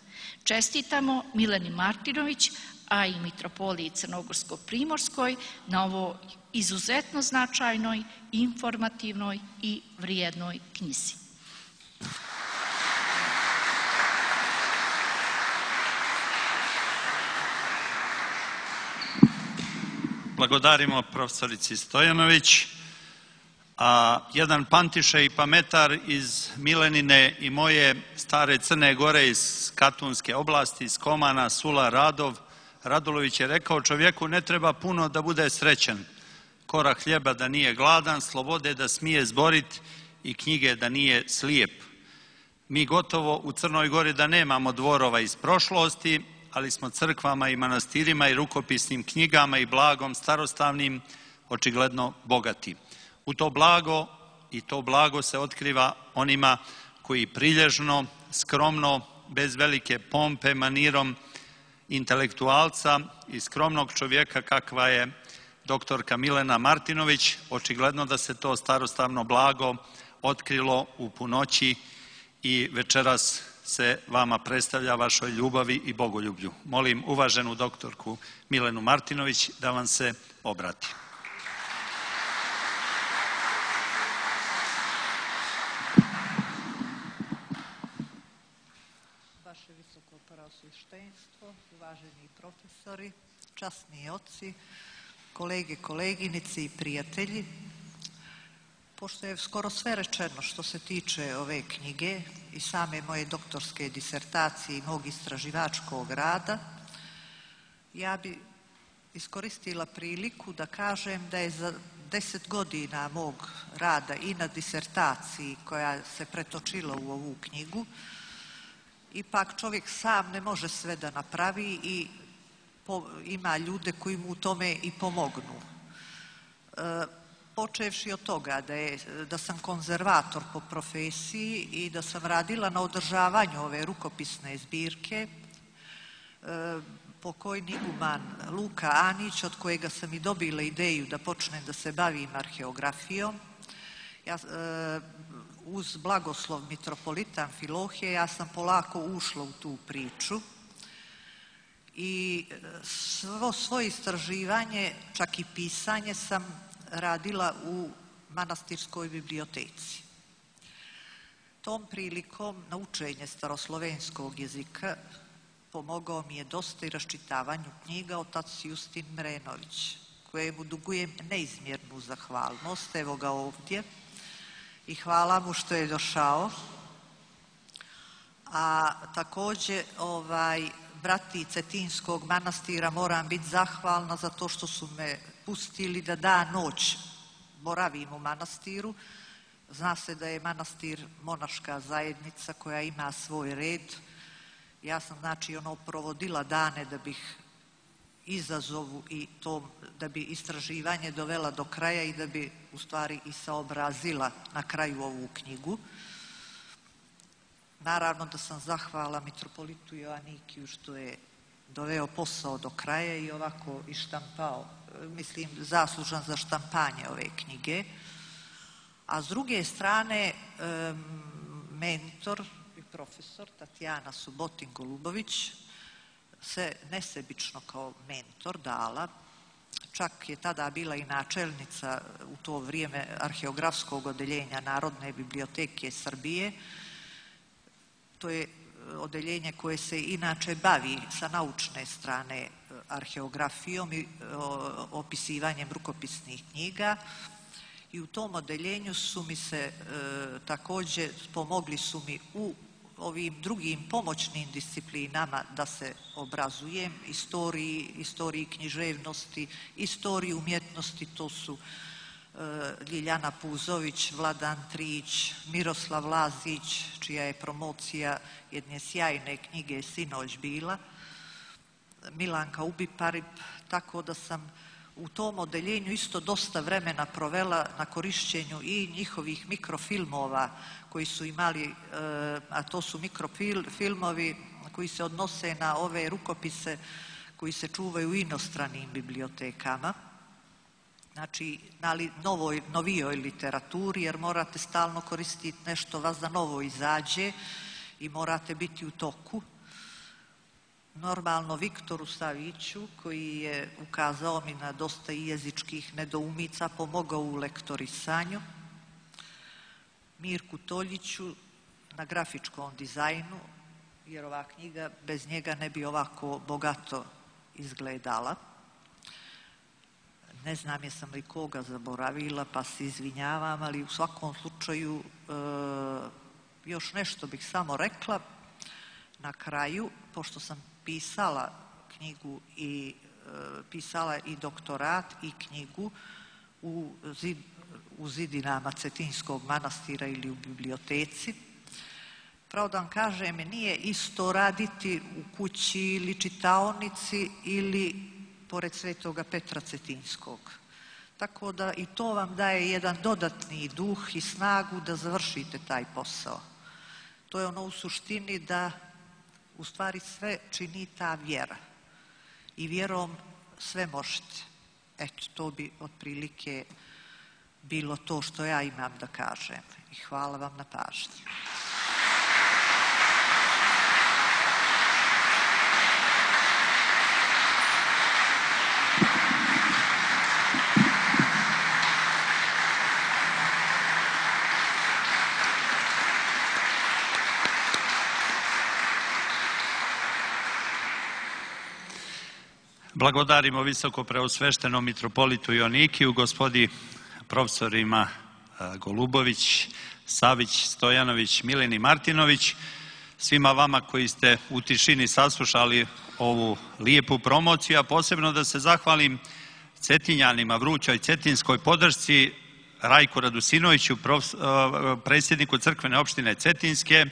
Čestitamo Mileni Martinović, a i Mitropoliji Crnogorsko-Primorskoj na ovoj izuzetno značajnoj, informativnoj i vrijednoj knjizi. Blagodarimo profesorici Stojanović, a jedan pantiše i pametar iz Milenine i moje stare Crne Gore iz Katunske oblasti, iz Komana, Sula Radulović je rekao: čovjeku ne treba puno da bude srećan, kora hljeba da nije gladan, slobode da smije zborit i knjige da nije slijep. Mi gotovo u Crnoj Gori da nemamo dvorova iz prošlosti, ali smo crkvama i manastirima i rukopisnim knjigama i blagom starostavnim očigledno bogati. U to blago se otkriva onima koji prilježno, skromno, bez velike pompe, manirom intelektualca i skromnog čovjeka kakva je doktorka Milena Martinović, očigledno da se to starostavno blago otkrilo u punoći i večeras se vama predstavlja vašoj ljubavi i bogoljublju. Molim uvaženu doktorku Milenu Martinović da vam se obrati. Vaše visoko preosveštenstvo, uvaženi profesori, časni oci, kolege, koleginice i prijatelji. Pošto je skoro sve rečeno što se tiče ove knjige i same moje doktorske disertacije i mog istraživačkog rada, ja bi iskoristila priliku da kažem da je za 10 godina mog rada i na disertaciji koja se pretočila u ovu knjigu, ipak čovjek sam ne može sve da napravi i ima ljude koji mu u tome i pomognu. Počevši od toga da sam konzervator po profesiji i da sam radila na održavanju ove rukopisne zbirke, pokojni iguman Luka Anić, od kojega sam i dobila ideju da počnem da se bavim arheografijom. Uz blagoslov mitropolita Amfilohije ja sam polako ušla u tu priču i svoje istraživanje, čak i pisanje, sam radila u manastirskoj biblioteci. Tom prilikom na učenje staroslovenskog jezika pomogao mi je dosta i raščitavanju knjiga otac Justin Mrenović, kojemu dugujem neizmjernu zahvalnost. Evo ga ovdje i hvala mu što je došao. A također brati Cetinskog manastira moram biti zahvalna za to što su me pustili da dan noć boravim u manastiru. Zna se da je manastir monaška zajednica koja ima svoj red. Ja sam provodila dane da bih izazovu i to, da bi istraživanje dovela do kraja i da bi u stvari i saobrazila na kraju ovu knjigu. Naravno da sam zahvala mitropolitu Joanikiju što je doveo posao do kraja i ovako i štampao, mislim zaslužan za štampanje ove knjige. A s druge strane mentor i profesor Tatjana Subotin-Golubović se nesebično kao mentor dala, čak je tada bila i načelnica u to vrijeme arheografskog odeljenja Narodne biblioteke Srbije. To je odeljenje koje se inače bavi sa naučne strane arheografijom i opisivanjem rukopisnih knjiga i u tom odeljenju su mi se također pomogli su mi u ovim drugim pomoćnim disciplinama da se obrazujem, istoriji književnosti, istoriji umjetnosti, to su Ljiljana Puzović, Vladan Trić, Miroslav Lazić, čija je promocija jedne sjajne knjige sinoć bila, Milanka Ubiparip, tako da sam u tom odeljenju isto dosta vremena provela na korišćenju i njihovih mikrofilmova koji su imali, a to su mikrofilmovi koji se odnose na ove rukopise koji se čuvaju u inostranim bibliotekama. Znači, na novijoj literaturi, jer morate stalno koristiti nešto vas da novo izađe i morate biti u toku. Normalno Viktoru Saviću, koji je ukazao mi na dosta i jezičkih nedoumica, pomogao u lektorisanju. Mirku Toljiću na grafičkom dizajnu, jer ova knjiga bez njega ne bi ovako bogato izgledala. Ne znam jesam li koga zaboravila, pa se izvinjavam, ali u svakom slučaju još nešto bih samo rekla. Na kraju, pošto sam pisala knjigu i pisala i doktorat i knjigu u zidinama Cetinskog manastira ili u biblioteci, pravo da vam kažem, nije isto raditi u kući ili čitaonici ili pored Svetoga Petra Cetinskog. Tako da i to vam daje jedan dodatni duh i snagu da završite taj posao. To je ono u suštini da u stvari sve čini ta vjera. I vjerom sve možete. Eto, to bi otprilike bilo to što ja imam da kažem. I hvala vam na pažnji. Blagodarimo visoko preosveštenom mitropolitu Joanikiju, gospodi profesorima Golubović, Savić, Stojanović, Mileni Martinović, svima vama koji ste u tišini saslušali ovu lijepu promociju, a posebno da se zahvalim Cetinjanima, vrućoj cetinskoj podršci, Rajku Radusinoviću, predsjedniku crkvene opštine Cetinske,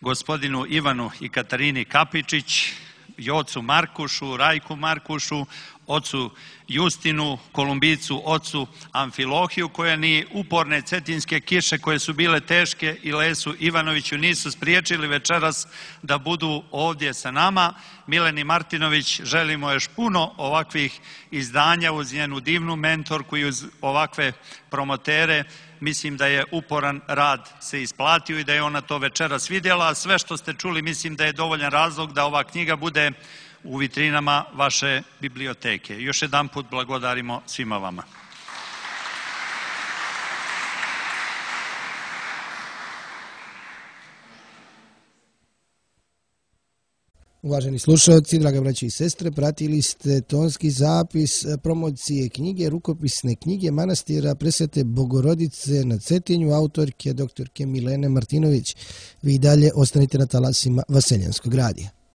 gospodinu Ivanu i Katarini Kapičić, Jocu Markušu, Rajku Markušu, ocu Justinu, Kolumbicu, ocu Amfilohiju, koje ni uporne cetinske kiše koje su bile teške i Lesu Ivanoviću nisu spriječili večeras da budu ovdje sa nama. Mileni Martinović, želimo još puno ovakvih izdanja uz njenu divnu mentorku i uz ovakve promotere. Mislim da je uporan rad se isplatio i da je ona to večeras vidjela, a sve što ste čuli mislim da je dovoljan razlog da ova knjiga bude u vitrinama vaše biblioteke. Još jedan put blagodarimo svima vama. Uvaženi slušalci, draga braći i sestre, pratili ste tonski zapis promocije knjige, rukopisne knjige manastira Presvete Bogorodice na Cetinju, autorke doktorke Milene Martinović. Vi dalje ostanite na talasima Vaseljanskog radija.